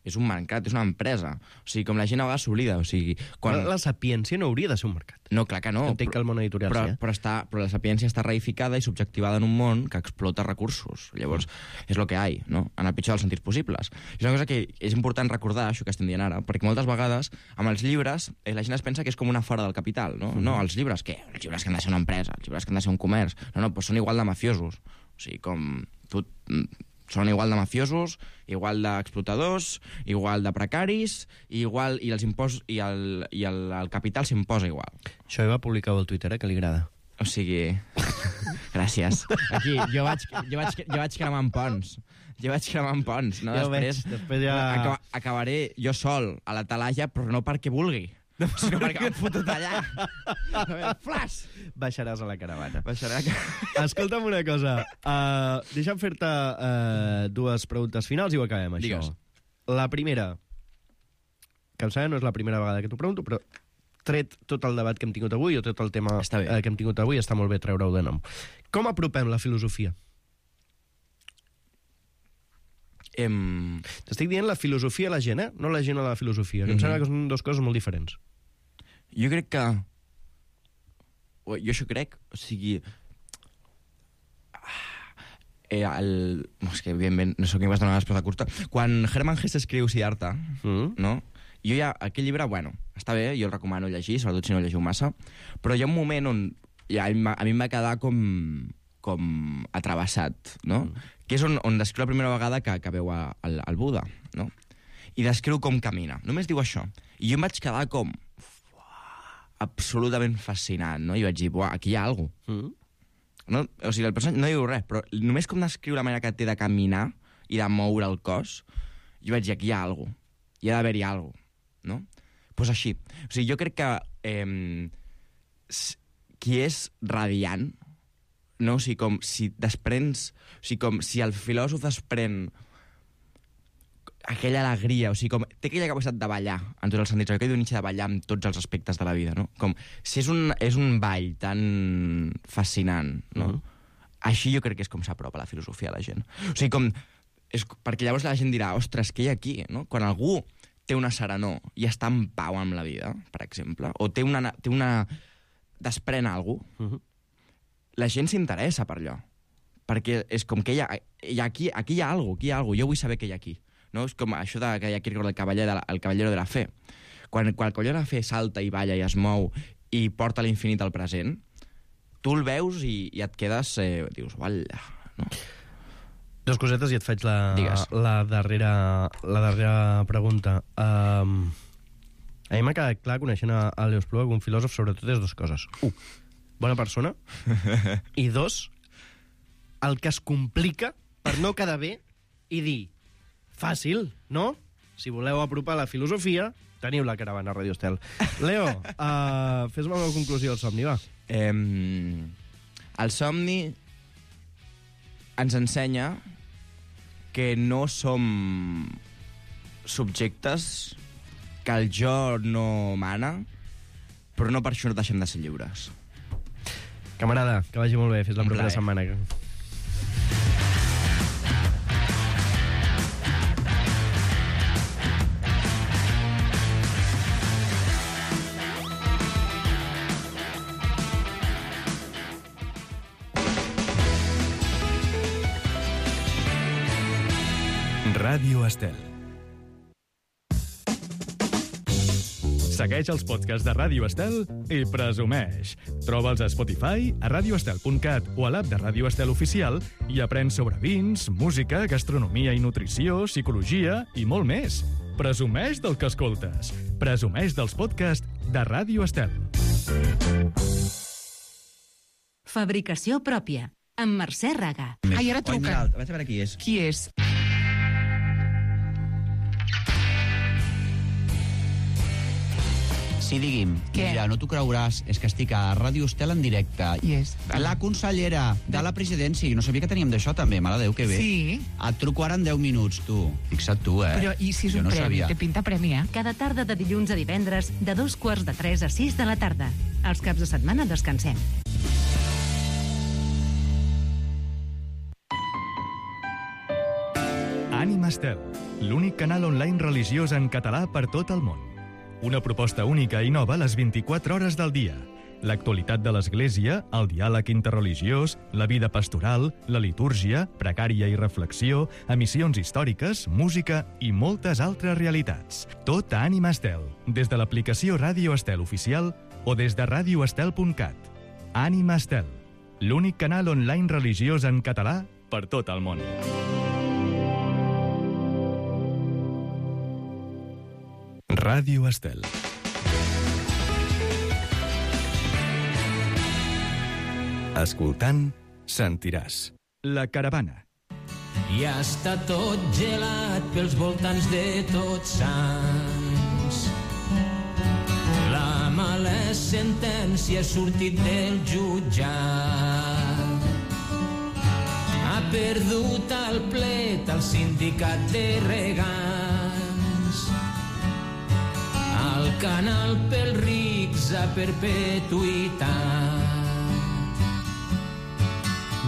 És un mercat, és una empresa. O sigui, com la gent a vegades s'oblida. O sigui, quan... La sapiència no hauria de ser un mercat. No, clar que no. Entenc que el món editorial sí, però la sapiència està reificada i subjectivada en un món que explota recursos. Llavors, és el que hi ha, no? En el pitjor dels sentits possibles. És una cosa que és important recordar, això que estem dient ara, perquè moltes vegades, amb els llibres, la gent es pensa que és com una fora del capital, no? No, els llibres, què? Els llibres que han de ser una empresa, els llibres que han de ser un comerç. No, doncs són igual de mafiosos. O sigui, com... Són igual de mafiosos, igual d'explotadors, igual de precaris, i els impostos i el capital s'imposa igual. Això ho va publicar al Twitter, que li agrada. O sigui... Gràcies. Aquí, jo vaig cremant ponts. No? Ja després ja... Acabaré jo sol a la talaia, però no perquè vulgui. Sinó perquè m'han fotut allà. Flash! Baixaràs a la caravana. Baixarà. Escolta'm una cosa. Deixa'm fer-te dues preguntes finals i ho acabem, això. Digues. La primera, que em sembla no és la primera vegada que t'ho pregunto, però tret tot el debat que hem tingut avui o tot el tema que hem tingut avui, està molt bé treure-ho de nom. Com apropem la filosofia? T'estic dient la filosofia a la gent, no la gent a la filosofia, que em sembla que són dues coses molt diferents. Jo crec que... Jo això crec, o sigui... És que, evidentment, no sé què em vas donar la resposta curta. Quan Hermann Hesse escriu Siddhartha, no? Jo ja, aquell llibre, bueno, està bé, jo el recomano llegir, sobretot si no el llegiu massa, però hi ha un moment on ja, a mi em va quedar com atrevessat, no? Que és on descriu la primera vegada que veu el Buda, no? I descriu com camina. Només diu això. I jo em vaig quedar com... absolutament fascinat, no? I vaig dir, aquí hi ha alguna cosa. No? O sigui, el personatge no diu res, però només com descriu la manera que té de caminar i de moure el cos, jo vaig dir, aquí hi ha alguna cosa. Hi ha d'haver-hi alguna cosa, no? Doncs així. O sigui, jo crec que qui és radiant, no? O sigui, com si desprens... O sigui, com si el filòsof desprèn aquella alegria, o sigui, com té aquella capacitat de ballar, en tots els sentits, aquell Nietzsche de ballar en tots els aspectes de la vida, no? Com si és un ball tan fascinant, no? Així jo crec que és com s'apropa la filosofia a la gent. O sigui, com... perquè llavors la gent dirà, ostres, què hi ha aquí, no? Quan algú té una serenor i està en pau amb la vida, per exemple, o té una desprèn alguna cosa, la gent s'interessa per allò. Perquè és com que aquí hi ha alguna cosa, jo vull saber què hi ha aquí. No? És com això que hi ha Kierkegaard, el cavallero de la fe. Quan el cavallero de la fe salta i balla i es mou i porta l'infinit al present, tu el veus i et quedes... dius, uala, no? Dos cosetes i et faig la darrera pregunta. A mi m'ha quedat clar, coneixent a Leo Espluga, que un filòsof sobretot és dues coses. bona persona, i 2, el que es complica per no quedar bé i dir, fàcil, no? Si voleu apropar la filosofia, teniu la caravana a Radio Estel. Leo, fes-me una conclusió del somni, va. El somni ens ensenya que no som subjectes, que el jo no mana, però no per això no deixem de ser lliures. Camarada, que vagi molt bé. Fins la propera setmana. Ràdio Estel. Segueix els podcasts de Ràdio Estel i presumeix. Troba'ls a Spotify, a radioestel.cat o a l'app de Ràdio Estel Oficial i aprèn sobre vins, música, gastronomia i nutrició, psicologia i molt més. Presumeix del que escoltes. Presumeix dels podcasts de Ràdio Estel. Fabricació pròpia, amb Mercè Raga. Ai, ara truca. Vaig a veure qui és. Qui és? Sí, digui'm. Què? Mira, no t'ho creuràs, és que estic a Ràdio Estel en directe. Qui és? La consellera de la presidència. Jo no sabia que teníem d'això, també. Mare de Déu, que bé. Sí. Et truco ara en 10 minuts, tu. Fixa't tu, Però i si és jo un no premi? sabia. Té pinta premi, eh? Cada tarda de dilluns a divendres, de 2:45 a 6 de la tarda. Els caps de setmana descansem. Ànima Estel, l'únic canal online religiós en català per tot el món. Una proposta única i nova a les 24 hores del dia. L'actualitat de l'Església, el diàleg interreligiós, la vida pastoral, la litúrgia, pregària i reflexió, emissions històriques, música i moltes altres realitats. Tot a Ànima Estel, des de l'aplicació Ràdio Estel Oficial o des de radioestel.cat. Ànima Estel, l'únic canal online religiós en català per tot el món. Ràdio Estel. Escoltant, sentiràs. La caravana. I està tot gelat pels voltants de Tots Sants. La mala sentència ha sortit del jutjat. Ha perdut el plet al sindicat de regants. El canal pels rics a perpetuïtat.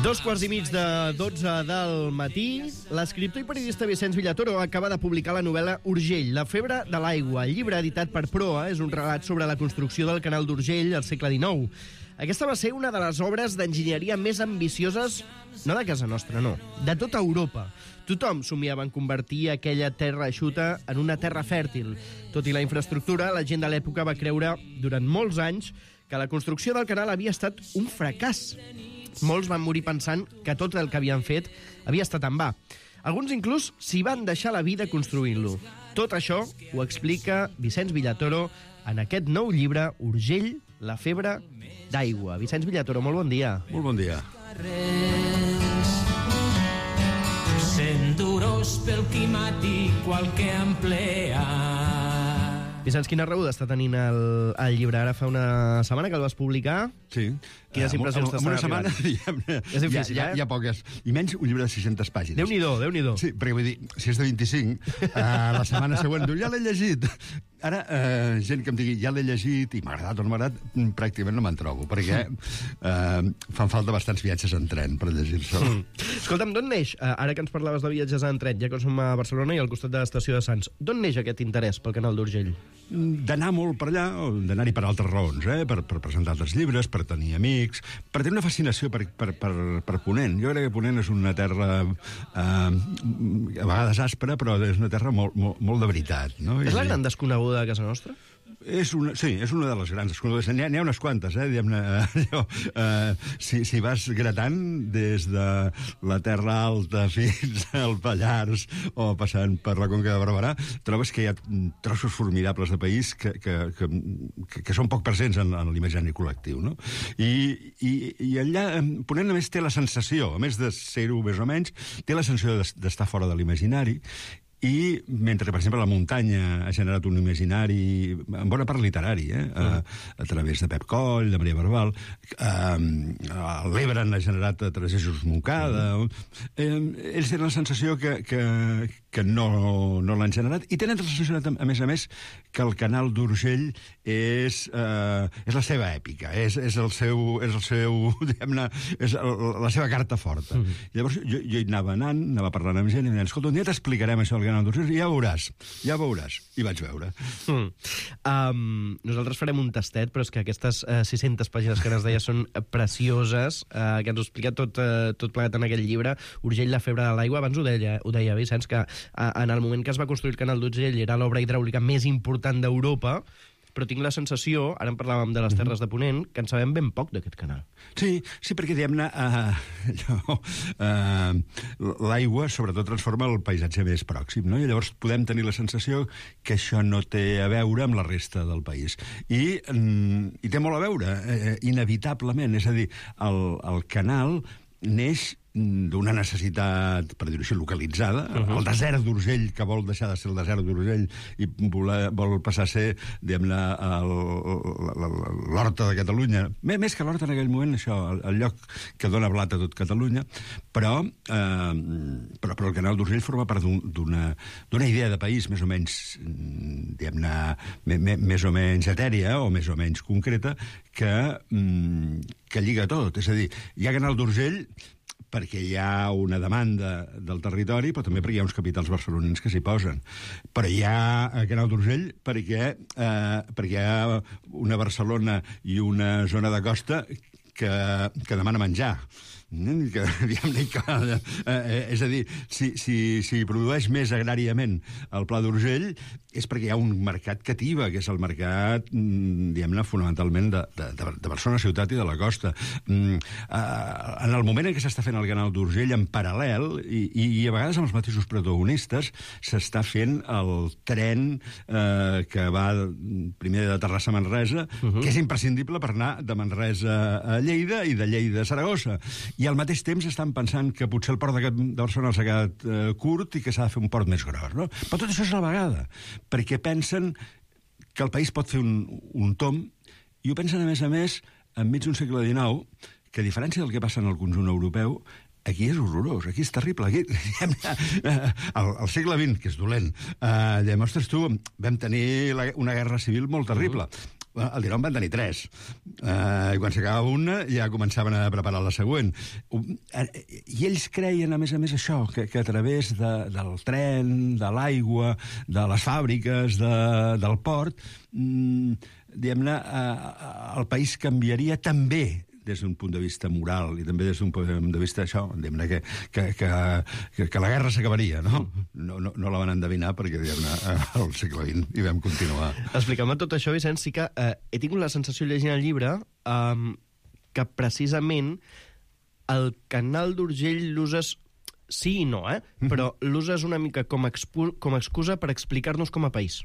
2:15 de 12 del matí, l'escriptor i periodista Vicenç Villatoro acaba de publicar la novel·la Urgell, la febre de l'aigua. El llibre, editat per Proa, és un relat sobre la construcció del canal d'Urgell al segle XIX. Aquesta va ser una de les obres d'enginyeria més ambicioses, no de casa nostra, no, de tota Europa. Tothom somiava en convertir aquella terra eixuta en una terra fèrtil. Tot i la infraestructura, la gent de l'època va creure durant molts anys que la construcció del canal havia estat un fracàs. Molts van morir pensant que tot el que havien fet havia estat en va. Alguns inclús s'hi van deixar la vida construint-lo. Tot això ho explica Vicenç Villatoro en aquest nou llibre, Urgell, la febre d'aigua. Vicenç Villatoro, molt bon dia. Molt bon dia. Sent duros pel climàtic qualque empleat. Vicenç, quina rebuda està tenint el llibre? Ara fa una setmana que el vas publicar. Sí. Quines impressions t'estan arribant? En una setmana, és difícil, hi ha poques. I menys un llibre de 600 pàgines. Déu-n'hi-do, Déu-n'hi-do. Sí, perquè vull dir, si és de 25, la setmana següent diu, ja l'he llegit. Ara, gent que em digui, ja l'he llegit, i m'ha agradat o no m'ha agradat, pràcticament no me'n trobo, perquè fan falta bastants viatges en tren per llegir-se. Escolta'm, d'on neix, ara que ens parlaves de viatges en tren, ja que som a Barcelona i al costat de l'estació de Sants, d'on neix aquest interès pel canal d'Urgell? D'anar molt per allà, o d'anar-hi per altres raons, per presentar altres llibres, per tenir amics, per tenir una fascinació per Ponent. Jo crec que Ponent és una terra a vegades àspera, però és una terra molt de veritat. No? És la gran desconeguda de casa nostra? És una de les grans desconegudes. N'hi ha unes quantes, si vas gratant des de la Terra Alta fins al Pallars o passant per la Conca de Barberà, trobes que hi ha trossos formidables de país que són poc presents en l'imaginari col·lectiu, no? I allà Ponent, a més, té la sensació, a més de ser-ho més o menys, té la sensació d'estar fora de l'imaginari. I mentre, per exemple, la muntanya ha generat un imaginari, en bona part literari, a través de Pep Coll, de Maria Barbal, l'Ebre ha generat a través de Jesús Moncada, ells tenen la sensació que no l'han generat, i tenen la sensació, a més, que el Canal d'Urgell és la seva èpica, és el seu diguem-ne, és la seva carta forta. Llavors jo hi anava parlant amb gent i em deien, escolta, un dia t'explicarem això del Canal d'Urgell, ja veuràs. I vaig veure. Nosaltres farem un tastet, però és que aquestes 600 pàgines que ens deia són precioses, que ens ho explica tot plegat en aquell llibre, Urgell, la febre de l'aigua. Abans ho deia Vicenç, que en el moment que es va construir el Canal d'Urgell era l'obra hidràulica més important d'Europa, però tinc la sensació, ara en parlàvem de les Terres de Ponent, que en sabem ben poc d'aquest canal. Sí, perquè, diguem-ne, l'aigua, sobretot, transforma el paisatge més pròxim, no? I llavors podem tenir la sensació que això no té a veure amb la resta del país. I té molt a veure, inevitablement. És a dir, el canal neix d'una necessitat, per dir-ho així, localitzada. El desert d'Urgell, que vol deixar de ser el desert d'Urgell i vol passar a ser, diguem-ne, l'Horta de Catalunya. Més que l'Horta en aquell moment, això, el lloc que dona blat a tot Catalunya, però el Canal d'Urgell forma part d'una idea de país més o menys, diguem-ne, més o menys etèria o més o menys concreta, que lliga tot. És a dir, hi ha Canal d'Urgell perquè hi ha una demanda del territori, però també perquè hi ha uns capitals barcelonins que s'hi posen. Però hi ha Canal d'Urgell perquè hi ha una Barcelona i una zona de costa que demana menjar. És a dir, si produeix més agràriament el Pla d'Urgell és perquè hi ha un mercat cativa, que és el mercat, diguem-ne, fonamentalment de Barcelona ciutat i de la costa. En el moment en què s'està fent el Canal d'Urgell, en paral·lel, i a vegades amb els mateixos protagonistes, s'està fent el tren que va primer de Terrassa a Manresa, que és imprescindible per anar de Manresa a Lleida i de Lleida a Saragossa. I al mateix temps estan pensant que potser el port de Barcelona s'ha quedat curt i que s'ha de fer un port més gros, no? Però tot això és a la vegada, perquè pensen que el país pot fer un tomb, i ho pensen, a més, enmig d'un segle XIX, que a diferència del que passa en el conjunt europeu, aquí és horrorós, aquí és terrible. Aquí, al segle XX, que és dolent, ostres, tu, vam tenir una guerra civil molt terrible. El XIX van tenir 3. I quan s'acabava una ja començaven a preparar la següent. I ells creien, a més, això, que a través del tren, de l'aigua, de les fàbriques, del port, diguem-ne, el país canviaria també des d'un punt de vista moral i també des d'un punt de vista això, diguem-ne, que la guerra s'acabaria, no? No la van endevinar perquè, diguem-ne, al segle XX hi vam continuar. Explica'm tot això, Vicenç, sí que he tingut la sensació llegint el llibre que precisament el Canal d'Urgell l'uses, sí i no, però l'uses una mica com a excusa per explicar-nos com a país.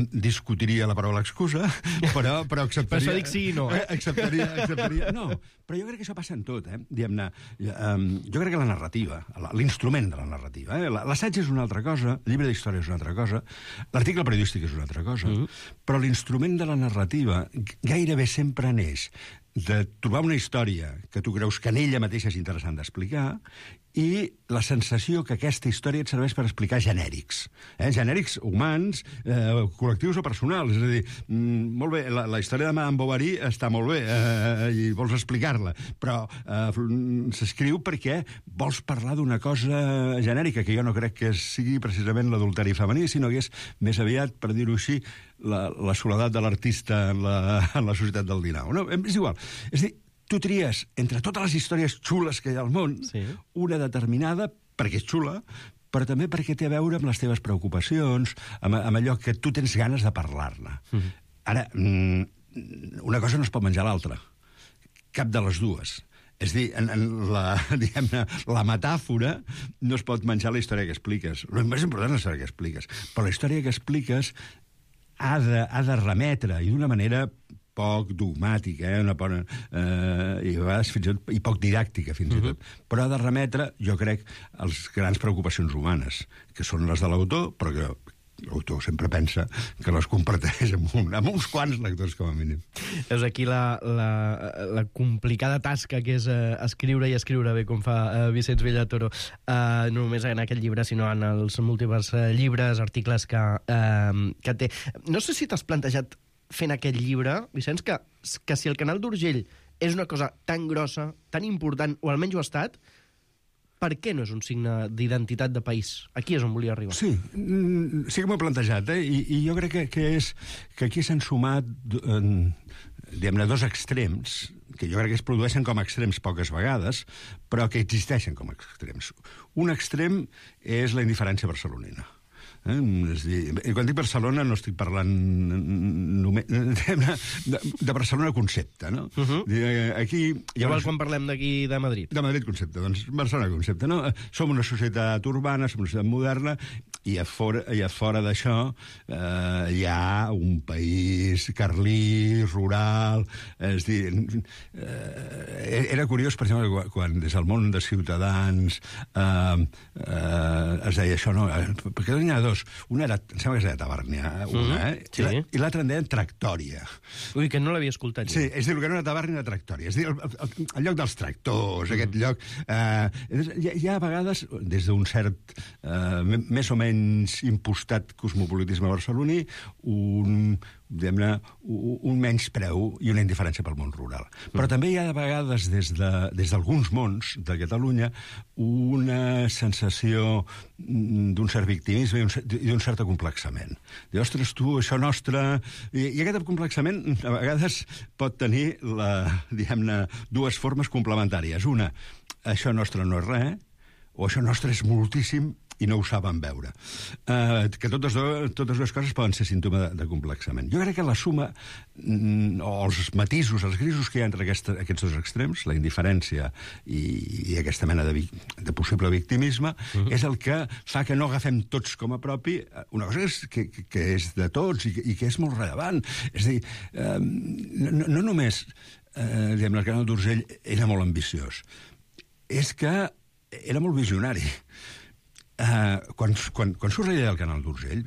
Discutiria la paraula excusa, però acceptaria... Per això dic sí i no, Acceptaria... No, però jo crec que això passa en tot, diguem-ne. Jo crec que la narrativa, l'instrument de la narrativa, l'assaig és una altra cosa, el llibre d'història és una altra cosa, l'article periodístic és una altra cosa, però l'instrument de la narrativa gairebé sempre neix de trobar una història que tu creus que en ella mateixa és interessant d'explicar i la sensació que aquesta història et serveix per explicar genèrics. Genèrics humans, col·lectius o personals. És a dir, molt bé, la història de Madame Bovary està molt bé i vols explicar-la, però s'escriu perquè vols parlar d'una cosa genèrica, que jo no crec que sigui precisament l'adulteri femení, sinó que és més aviat, per dir-ho així, la soledat de l'artista en la societat del XIX. No? És igual. És a dir, tu tries entre totes les històries xules que hi ha al món, una determinada, perquè és xula, però també perquè té a veure amb les teves preocupacions, amb allò que tu tens ganes de parlar-ne. Ara, una cosa no es pot menjar l'altra. Cap de les dues. És a dir, la metàfora no es pot menjar la història que expliques. El més important és la història que expliques. Però la història que expliques ha de remetre, i d'una manera poc dogmàtica, i a vegades i poc didàctica, fins i tot. Però ha de remetre, jo crec, a les grans preocupacions humanes, que són les de l'autor, però que l'autor sempre pensa que les comparteix amb uns quants lectors, com a mínim. És aquí la complicada tasca que és escriure i escriure bé, com fa Vicenç Bellatoro, no només en aquest llibre, sinó en els múltiples llibres, articles que té. No sé si t'has plantejat fent aquest llibre, Vicenç, que si el Canal d'Urgell és una cosa tan grossa, tan important, o almenys ho ha estat, per què no és un signe d'identitat de país? Aquí és on volia arribar. Sí que m'ho he plantejat, i jo crec que aquí s'han sumat diguem-ne, dos extrems, que jo crec que es produeixen com a extrems poques vegades, però que existeixen com a extrems. Un extrem és la indiferència barcelonina. És dir, quan dic Barcelona no estic parlant només de Barcelona concepte, no? Aquí igual quan parlem d'aquí de Madrid. De Madrid concepte, doncs Barcelona concepte, no? Som una societat urbana, som una societat moderna, i a fora d'això hi ha un país carlí, rural. És dir, era curiós, per exemple, quan des del món de Ciutadans es deia això, no? Perquè n'hi ha dos. Una era, em sembla que es deia Tabàrnia, sí. I l'altra en deien Tractòria. Ui, que no l'havia escoltat. Sí, és dir, el que era una Tabàrnia de Tractòria. És dir, el lloc dels tractors, aquest lloc. Hi ha a vegades, des d'un cert, més o menys impostat cosmopolitisme barceloní, un menyspreu i una indiferència pel món rural. Però també hi ha a vegades, des d'alguns mons de Catalunya, una sensació d'un cert victimisme i d'un cert acomplexament. Diu, ostres, tu, això nostre... I aquest acomplexament a vegades pot tenir, diguem-ne, dues formes complementàries. Una, això nostre no és res, o això nostre és moltíssim i no ho saben veure. Que totes dues coses poden ser símptoma de complexament. Jo crec que la suma, o els matisos, els grisos que hi ha entre aquests dos extrems, la indiferència i aquesta mena de possible victimisme, és el que fa que no agafem tots com a propi una cosa que és de tots i que és molt rellevant. És a dir, no només el Canal d'Urgell era molt ambiciós, és que era molt visionari. Quan surt la idea del Canal d'Urgell...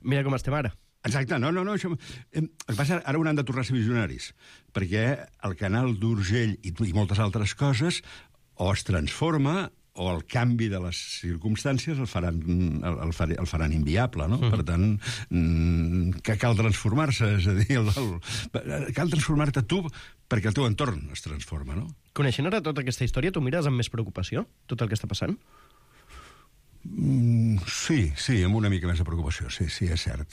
Mira com estem ara. Exacte, no, això... El que passa, ara hauran de tornar a ser visionaris, perquè el Canal d'Urgell i moltes altres coses o es transforma o el canvi de les circumstàncies el faran inviable, no? Per tant, que cal transformar-se, és a dir, cal transformar-te tu perquè el teu entorn es transforma, no? Coneixent ara tota aquesta història, tu mires amb més preocupació tot el que està passant? Sí, amb una mica més de preocupació. Sí, és cert.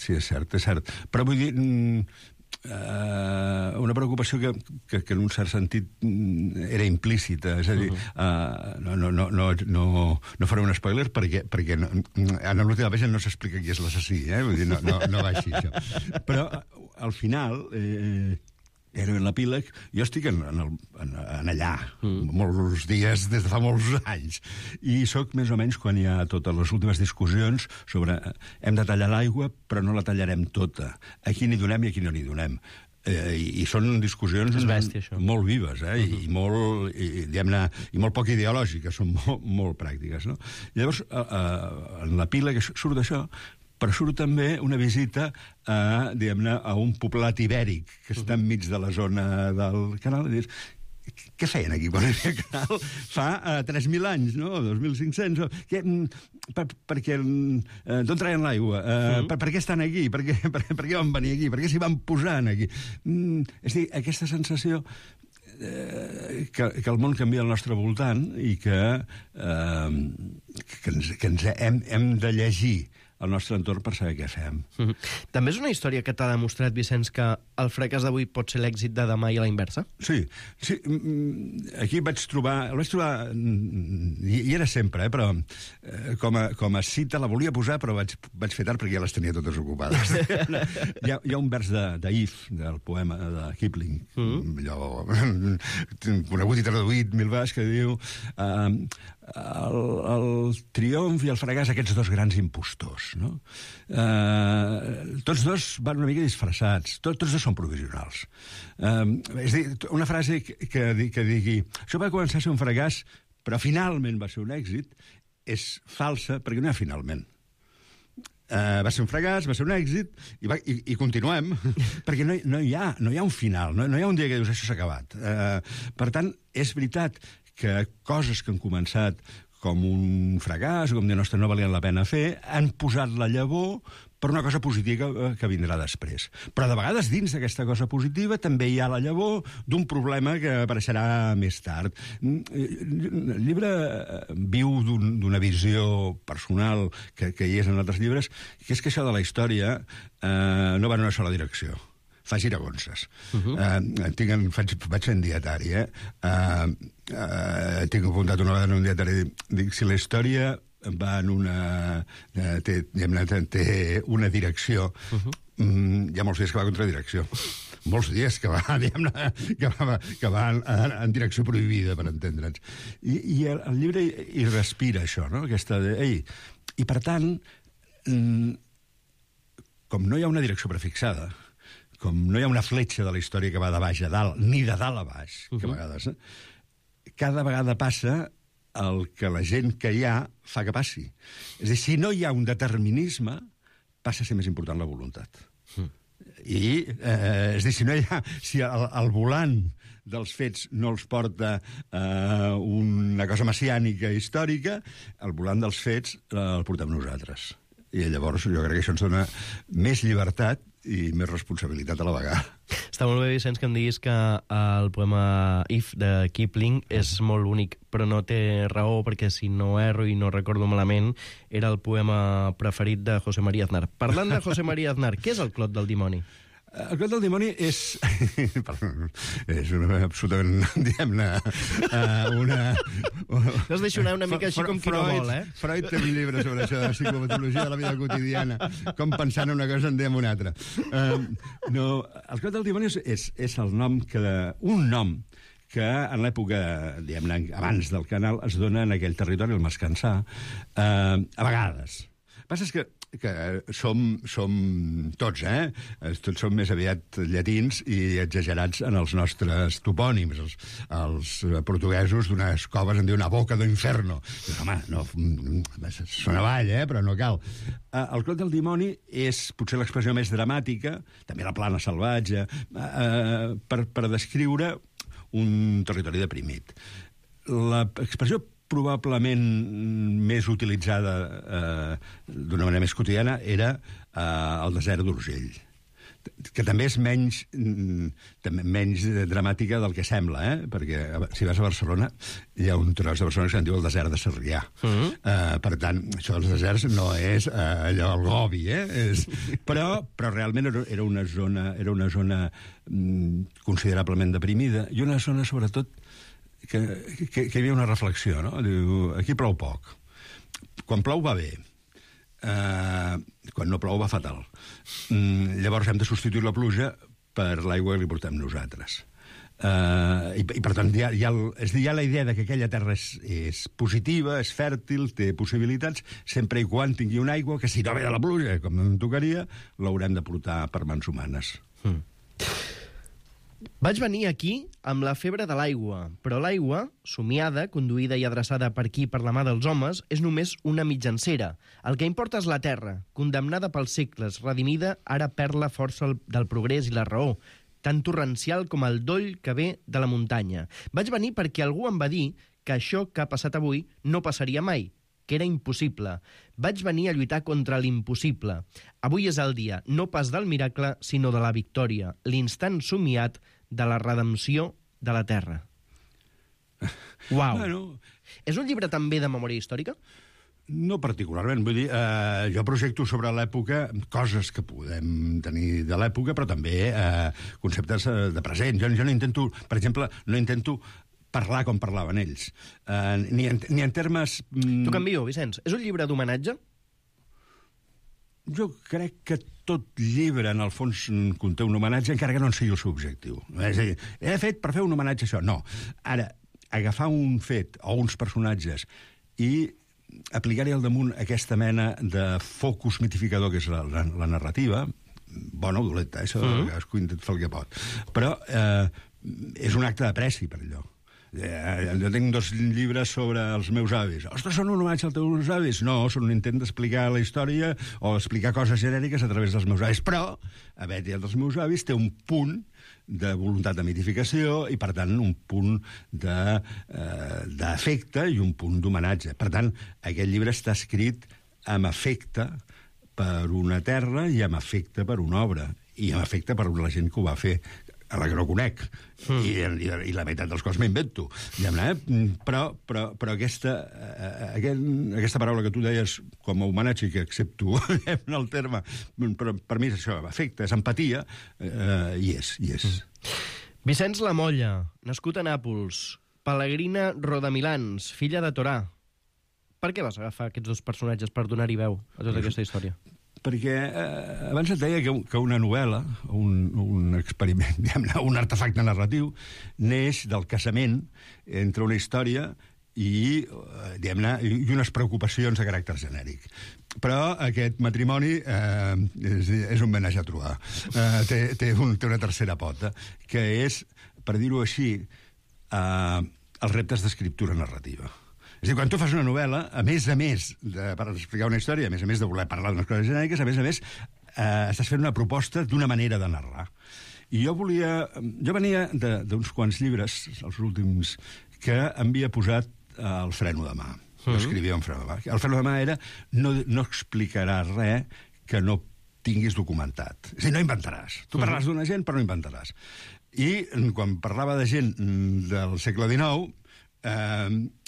Però vull dir, una preocupació que en un cert sentit era implícita. És a dir, no faré un spoiler perquè en l'última pàgina no s'explica qui és l'assassí, vull dir, no va així, això. Però al final... era en l'epíleg, jo estic en allà, molts dies des de fa molts anys, i sóc més o menys quan hi ha totes les últimes discussions sobre hem de tallar l'aigua, però no la tallarem tota. A qui n'hi donem i a qui no n'hi donem. I són discussions molt vives, i molt poc ideològiques, són molt pràctiques, no? Llavors, en l'epíleg surt això, però surt també una visita a un poblat ibèric que està enmig de la zona del canal, i dius, què feien aquí quan hi havia canal? Fa 3.000 anys, no? 2.500... Perquè d'on traien l'aigua? Per què estan aquí? Per què van venir aquí? Per què s'hi van posar aquí? És a dir, aquesta sensació que el món canvia al nostre voltant i que hem de llegir el nostre entorn per saber què fem. També és una història que t'ha demostrat, Vicenç, que el fracàs d'avui pot ser l'èxit de demà i a la inversa? Sí. Aquí el vaig trobar, i era sempre, però com a cita la volia posar, però vaig fer tard perquè ja les tenia totes ocupades. Hi ha un vers d'If, del poema de Kipling, allò conegut i traduït 1000 vegades, que diu el triomf i el fracàs, aquests dos grans impostors, no? Tots dos van una mica disfressats, tots dos són provisionals. És a dir, una frase que digui això va començar a ser un fracàs però finalment va ser un èxit, és falsa perquè no hi ha finalment. Va ser un fracàs, va ser un èxit, i continuem, perquè no hi ha un final, no hi ha un dia que dius això s'ha acabat. Per tant, és veritat que coses que han començat com un fracàs, o com de no valien la pena fer, han posat la llavor per una cosa positiva que vindrà després. Però de vegades dins d'aquesta cosa positiva també hi ha la llavor d'un problema que apareixerà més tard. El llibre viu d'una visió personal que hi és en altres llibres, que és que això de la història no va en una sola direcció. Fa giragonses. Vaig fent dietari, tinc apuntat una vegada en un dietari, dic, si la història va en té una direcció, hi ha molts dies que va contra direcció. Molts dies que va, que va en direcció prohibida, per entendre'ns. I el llibre hi respira això, no? Aquesta de... I per tant, com no hi ha una direcció prefixada, com no hi ha una fletxa de la història que va de baix a dalt, ni de dalt a baix, que a vegades, cada vegada passa el que la gent que hi ha fa que passi. És a dir, si no hi ha un determinisme, passa a ser més important la voluntat. És a dir, si el volant dels fets no els porta una cosa messiànica històrica, el volant dels fets el portem nosaltres. I llavors jo crec que això ens dona més llibertat i més responsabilitat a la vegada. Està molt bé, Vicenç, que em diguis que el poema If de Kipling és molt únic, però no té raó, perquè si no erro i no recordo malament, era el poema preferit de José María Aznar. Parlant de José María Aznar, què és el Clot del dimoni? El Clot del dimoni és absolutament, diguem-ne, No es deixo anar una mica així com qui no vol, eh? Freud té un llibre sobre això, de psicopatologia de la vida quotidiana, com pensar en una cosa en diem una altra. No, el Clot del dimoni és el nom un nom que en l'època, diguem-ne, abans del canal, es dona en aquell territori, el Mascansà, a vegades. El que passa és que som tots, tots som més aviat llatins i exagerats en els nostres topònims. Els portuguesos d'unes coves en diuen a boca do inferno. Home, no, sona avall, però no cal. El Clot del dimoni és potser l'expressió més dramàtica, també la plana salvatge, per descriure un territori deprimit. L'expressió probablement més utilitzada d'una manera més quotidiana era el desert d'Urgell, que també és menys dramàtica del que sembla, perquè si vas a Barcelona hi ha un tros de Barcelona que se'n diu el desert de Sarrià. Per tant, això dels deserts no és allò el Gobi, però realment era una zona considerablement deprimida i una zona, sobretot, que hi havia una reflexió, no? Diu, aquí plou poc. Quan plou va bé. Quan no plou va fatal. Llavors hem de substituir la pluja per l'aigua que li portem nosaltres. I per tant, hi ha la idea de que aquella terra és positiva, és fèrtil, té possibilitats, sempre i quan tingui una aigua que, si no ve de la pluja, com no em tocaria, l'haurem de portar per mans humanes. Vaig venir aquí amb la febre de l'aigua, però l'aigua, somiada, conduïda i adreçada per aquí per la mà dels homes, és només una mitjancera. El que importa és la terra, condemnada pels segles, redimida, ara perd la força del progrés i la raó, tan torrencial com el doll que ve de la muntanya. Vaig venir perquè algú em va dir que això que ha passat avui no passaria mai, que era impossible. Vaig venir a lluitar contra l'impossible. Avui és el dia, no pas del miracle, sinó de la victòria, l'instant somiat de la redempció de la terra. Uau! Bueno. És un llibre també de memòria històrica? No particularment, vull dir, jo projecto sobre l'època coses que podem tenir de l'època, però també conceptes de present. Jo no intento, per exemple, parlar com parlaven ells, ni en termes... T'ho canvio, Vicenç. És un llibre d'homenatge? Jo crec que tot llibre, en el fons, conté un homenatge, encara que no en sigui el seu objectiu. És a dir, he fet per fer un homenatge a això. No. Ara, agafar un fet o uns personatges i aplicar-hi al damunt aquesta mena de focus mitificador que és la narrativa, bona o dolenta, això cadascú intenta fer el que pot. Però és un acte d'apreci per allò. Jo tinc 2 llibres sobre els meus avis. Ostres, són un homenatge als teus avis? No, són un intent d'explicar la història o explicar coses genèriques a través dels meus avis. Però, haver-hi dels meus avis té un punt de voluntat de mitificació i, per tant, un punt d'afecte i un punt d'homenatge. Per tant, aquest llibre està escrit amb afecte per una terra i amb afecte per una obra i amb afecte per la gent que ho va fer, a la que no conec, i la meitat dels cos m'invento. Però aquesta paraula que tu deies com a homenatge, que accepto el terme, però per mi és això, afecte, és empatia, i és. Vicenç Lamolla, nascut a Nàpols, Pellegrina Rodamilans, filla de Torà. Per què vas agafar aquests 2 personatges per donar-hi veu a tota aquesta història? Perquè abans et deia que una novel·la, un experiment, diguem-ne, un artefacte narratiu, neix del casament entre una història i, diguem-ne, i unes preocupacions de caràcter genèric. Però aquest matrimoni és un menage a trobar. Té una tercera pota, que és, per dir-ho així, els reptes d'escriptura narrativa. És a dir, quan tu fas una novel·la, a més per explicar una història, a més de voler parlar d'unes coses genèriques, a més, estàs fent una proposta d'una manera de narrar. I jo venia d'uns quants llibres, els últims, que havia posat el freno de mà. Jo escrivia un freno de mà. El freno de mà era no explicaràs res que no tinguis documentat. És a dir, no inventaràs. Tu parlaràs d'una gent, però no inventaràs. I quan parlava de gent del segle XIX,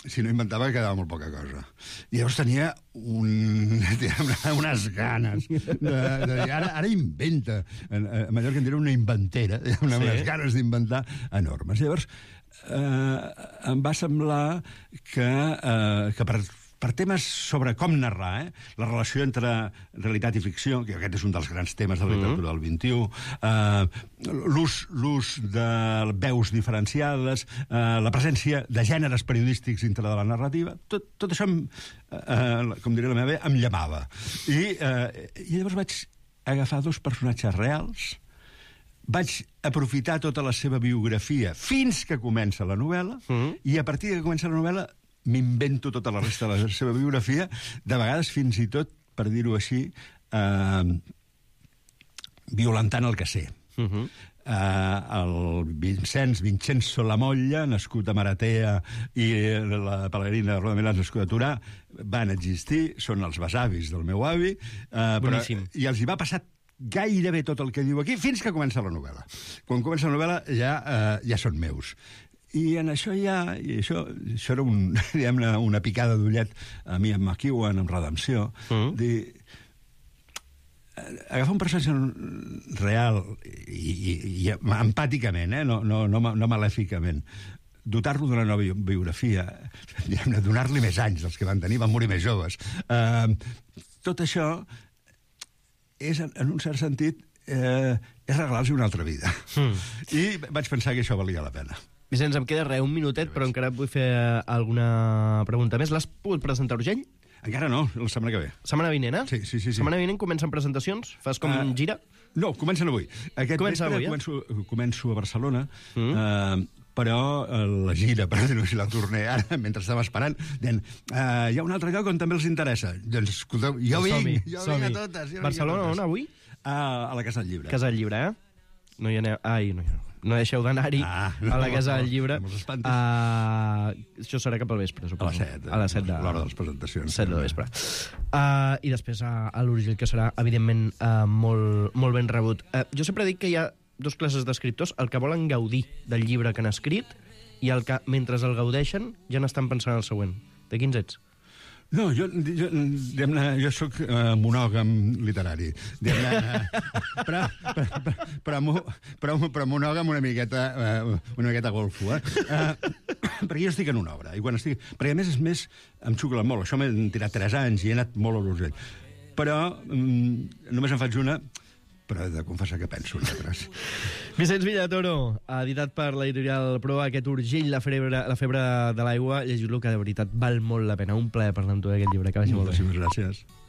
si no inventava quedava molt poca cosa. I llavors tenia unes ganes de dir, ara inventa. A Mallorca en diria una inventera, unes ganes d'inventar enormes. Llavors em va semblar que per temes sobre com narrar, la relació entre realitat i ficció, que aquest és un dels grans temes de la literatura del XXI, l'ús de veus diferenciades, la presència de gèneres periodístics dintre de la narrativa, tot això, com diria la meva, em llamava. I llavors vaig agafar 2 personatges reals, vaig aprofitar tota la seva biografia fins que comença la novel·la, i a partir que comença la novel·la m'invento tota la resta de la seva biografia, de vegades fins i tot, per dir-ho així, violentant el que sé. El Vincenzo Lamolla, nascut a Maratea, i la Pellegrina Rodamilans, nascut a Torà, van existir, són els besavis del meu avi, i els hi va passar gairebé tot el que diu aquí, fins que comença la novel·la. Quan comença la novel·la ja són meus. I en això això era una picada d'ullet a mi amb McEwan, amb Redempció, agafar un personatge real i empàticament, no malèficament, dotar-lo d'una nova biografia, donar-li més anys dels que van tenir, van morir més joves. Tot això és, en un cert sentit, és regalar-los una altra vida. I vaig pensar que això valia la pena. Vicenç, em queda un minutet, però encara et vull fer alguna pregunta més. L'has pogut presentar urgell? Encara no, la setmana que ve. Setmana vinent, eh? Sí. Setmana vinent comencen presentacions? Fas com gira? No, comencen avui. Comença avui, començo a Barcelona, però la gira, per dir-ho així, la torné ara, mentre estava esperant, dient, hi ha un altre lloc on també els interessa. Doncs, escolteu, jo vinc a totes. Barcelona, on, avui? A la Casa del Llibre. Casa del Llibre, No hi aneu... No deixeu d'anar-hi a la Casa del Llibre. Això serà cap al vespre, suposo. A les 7 l'hora de les presentacions. 7 de vespre. I després a l'Urgell, que serà, evidentment, molt ben rebut. Jo sempre dic que hi ha 2 classes d'escriptors, el que volen gaudir del llibre que han escrit i el que, mentre el gaudeixen, ja n'estan pensant en el següent. De quins ets? No, jo soc monògam literari. Però monògam una miqueta golfo, perquè jo estic en una obra. Perquè a més em xucla molt. Això m'he tirat 3 anys i he anat molt a l'urgell. Però només en faig una, però he de confessar que penso en altres. Vicenç Villatoro, editat per l'editorial Proa, aquest Urgell, la febre de l'aigua. Llegiu-lo, que de veritat val molt la pena. Un plaer parlar amb tu d'aquest llibre. Que vagi molt bé. Moltíssimes gràcies.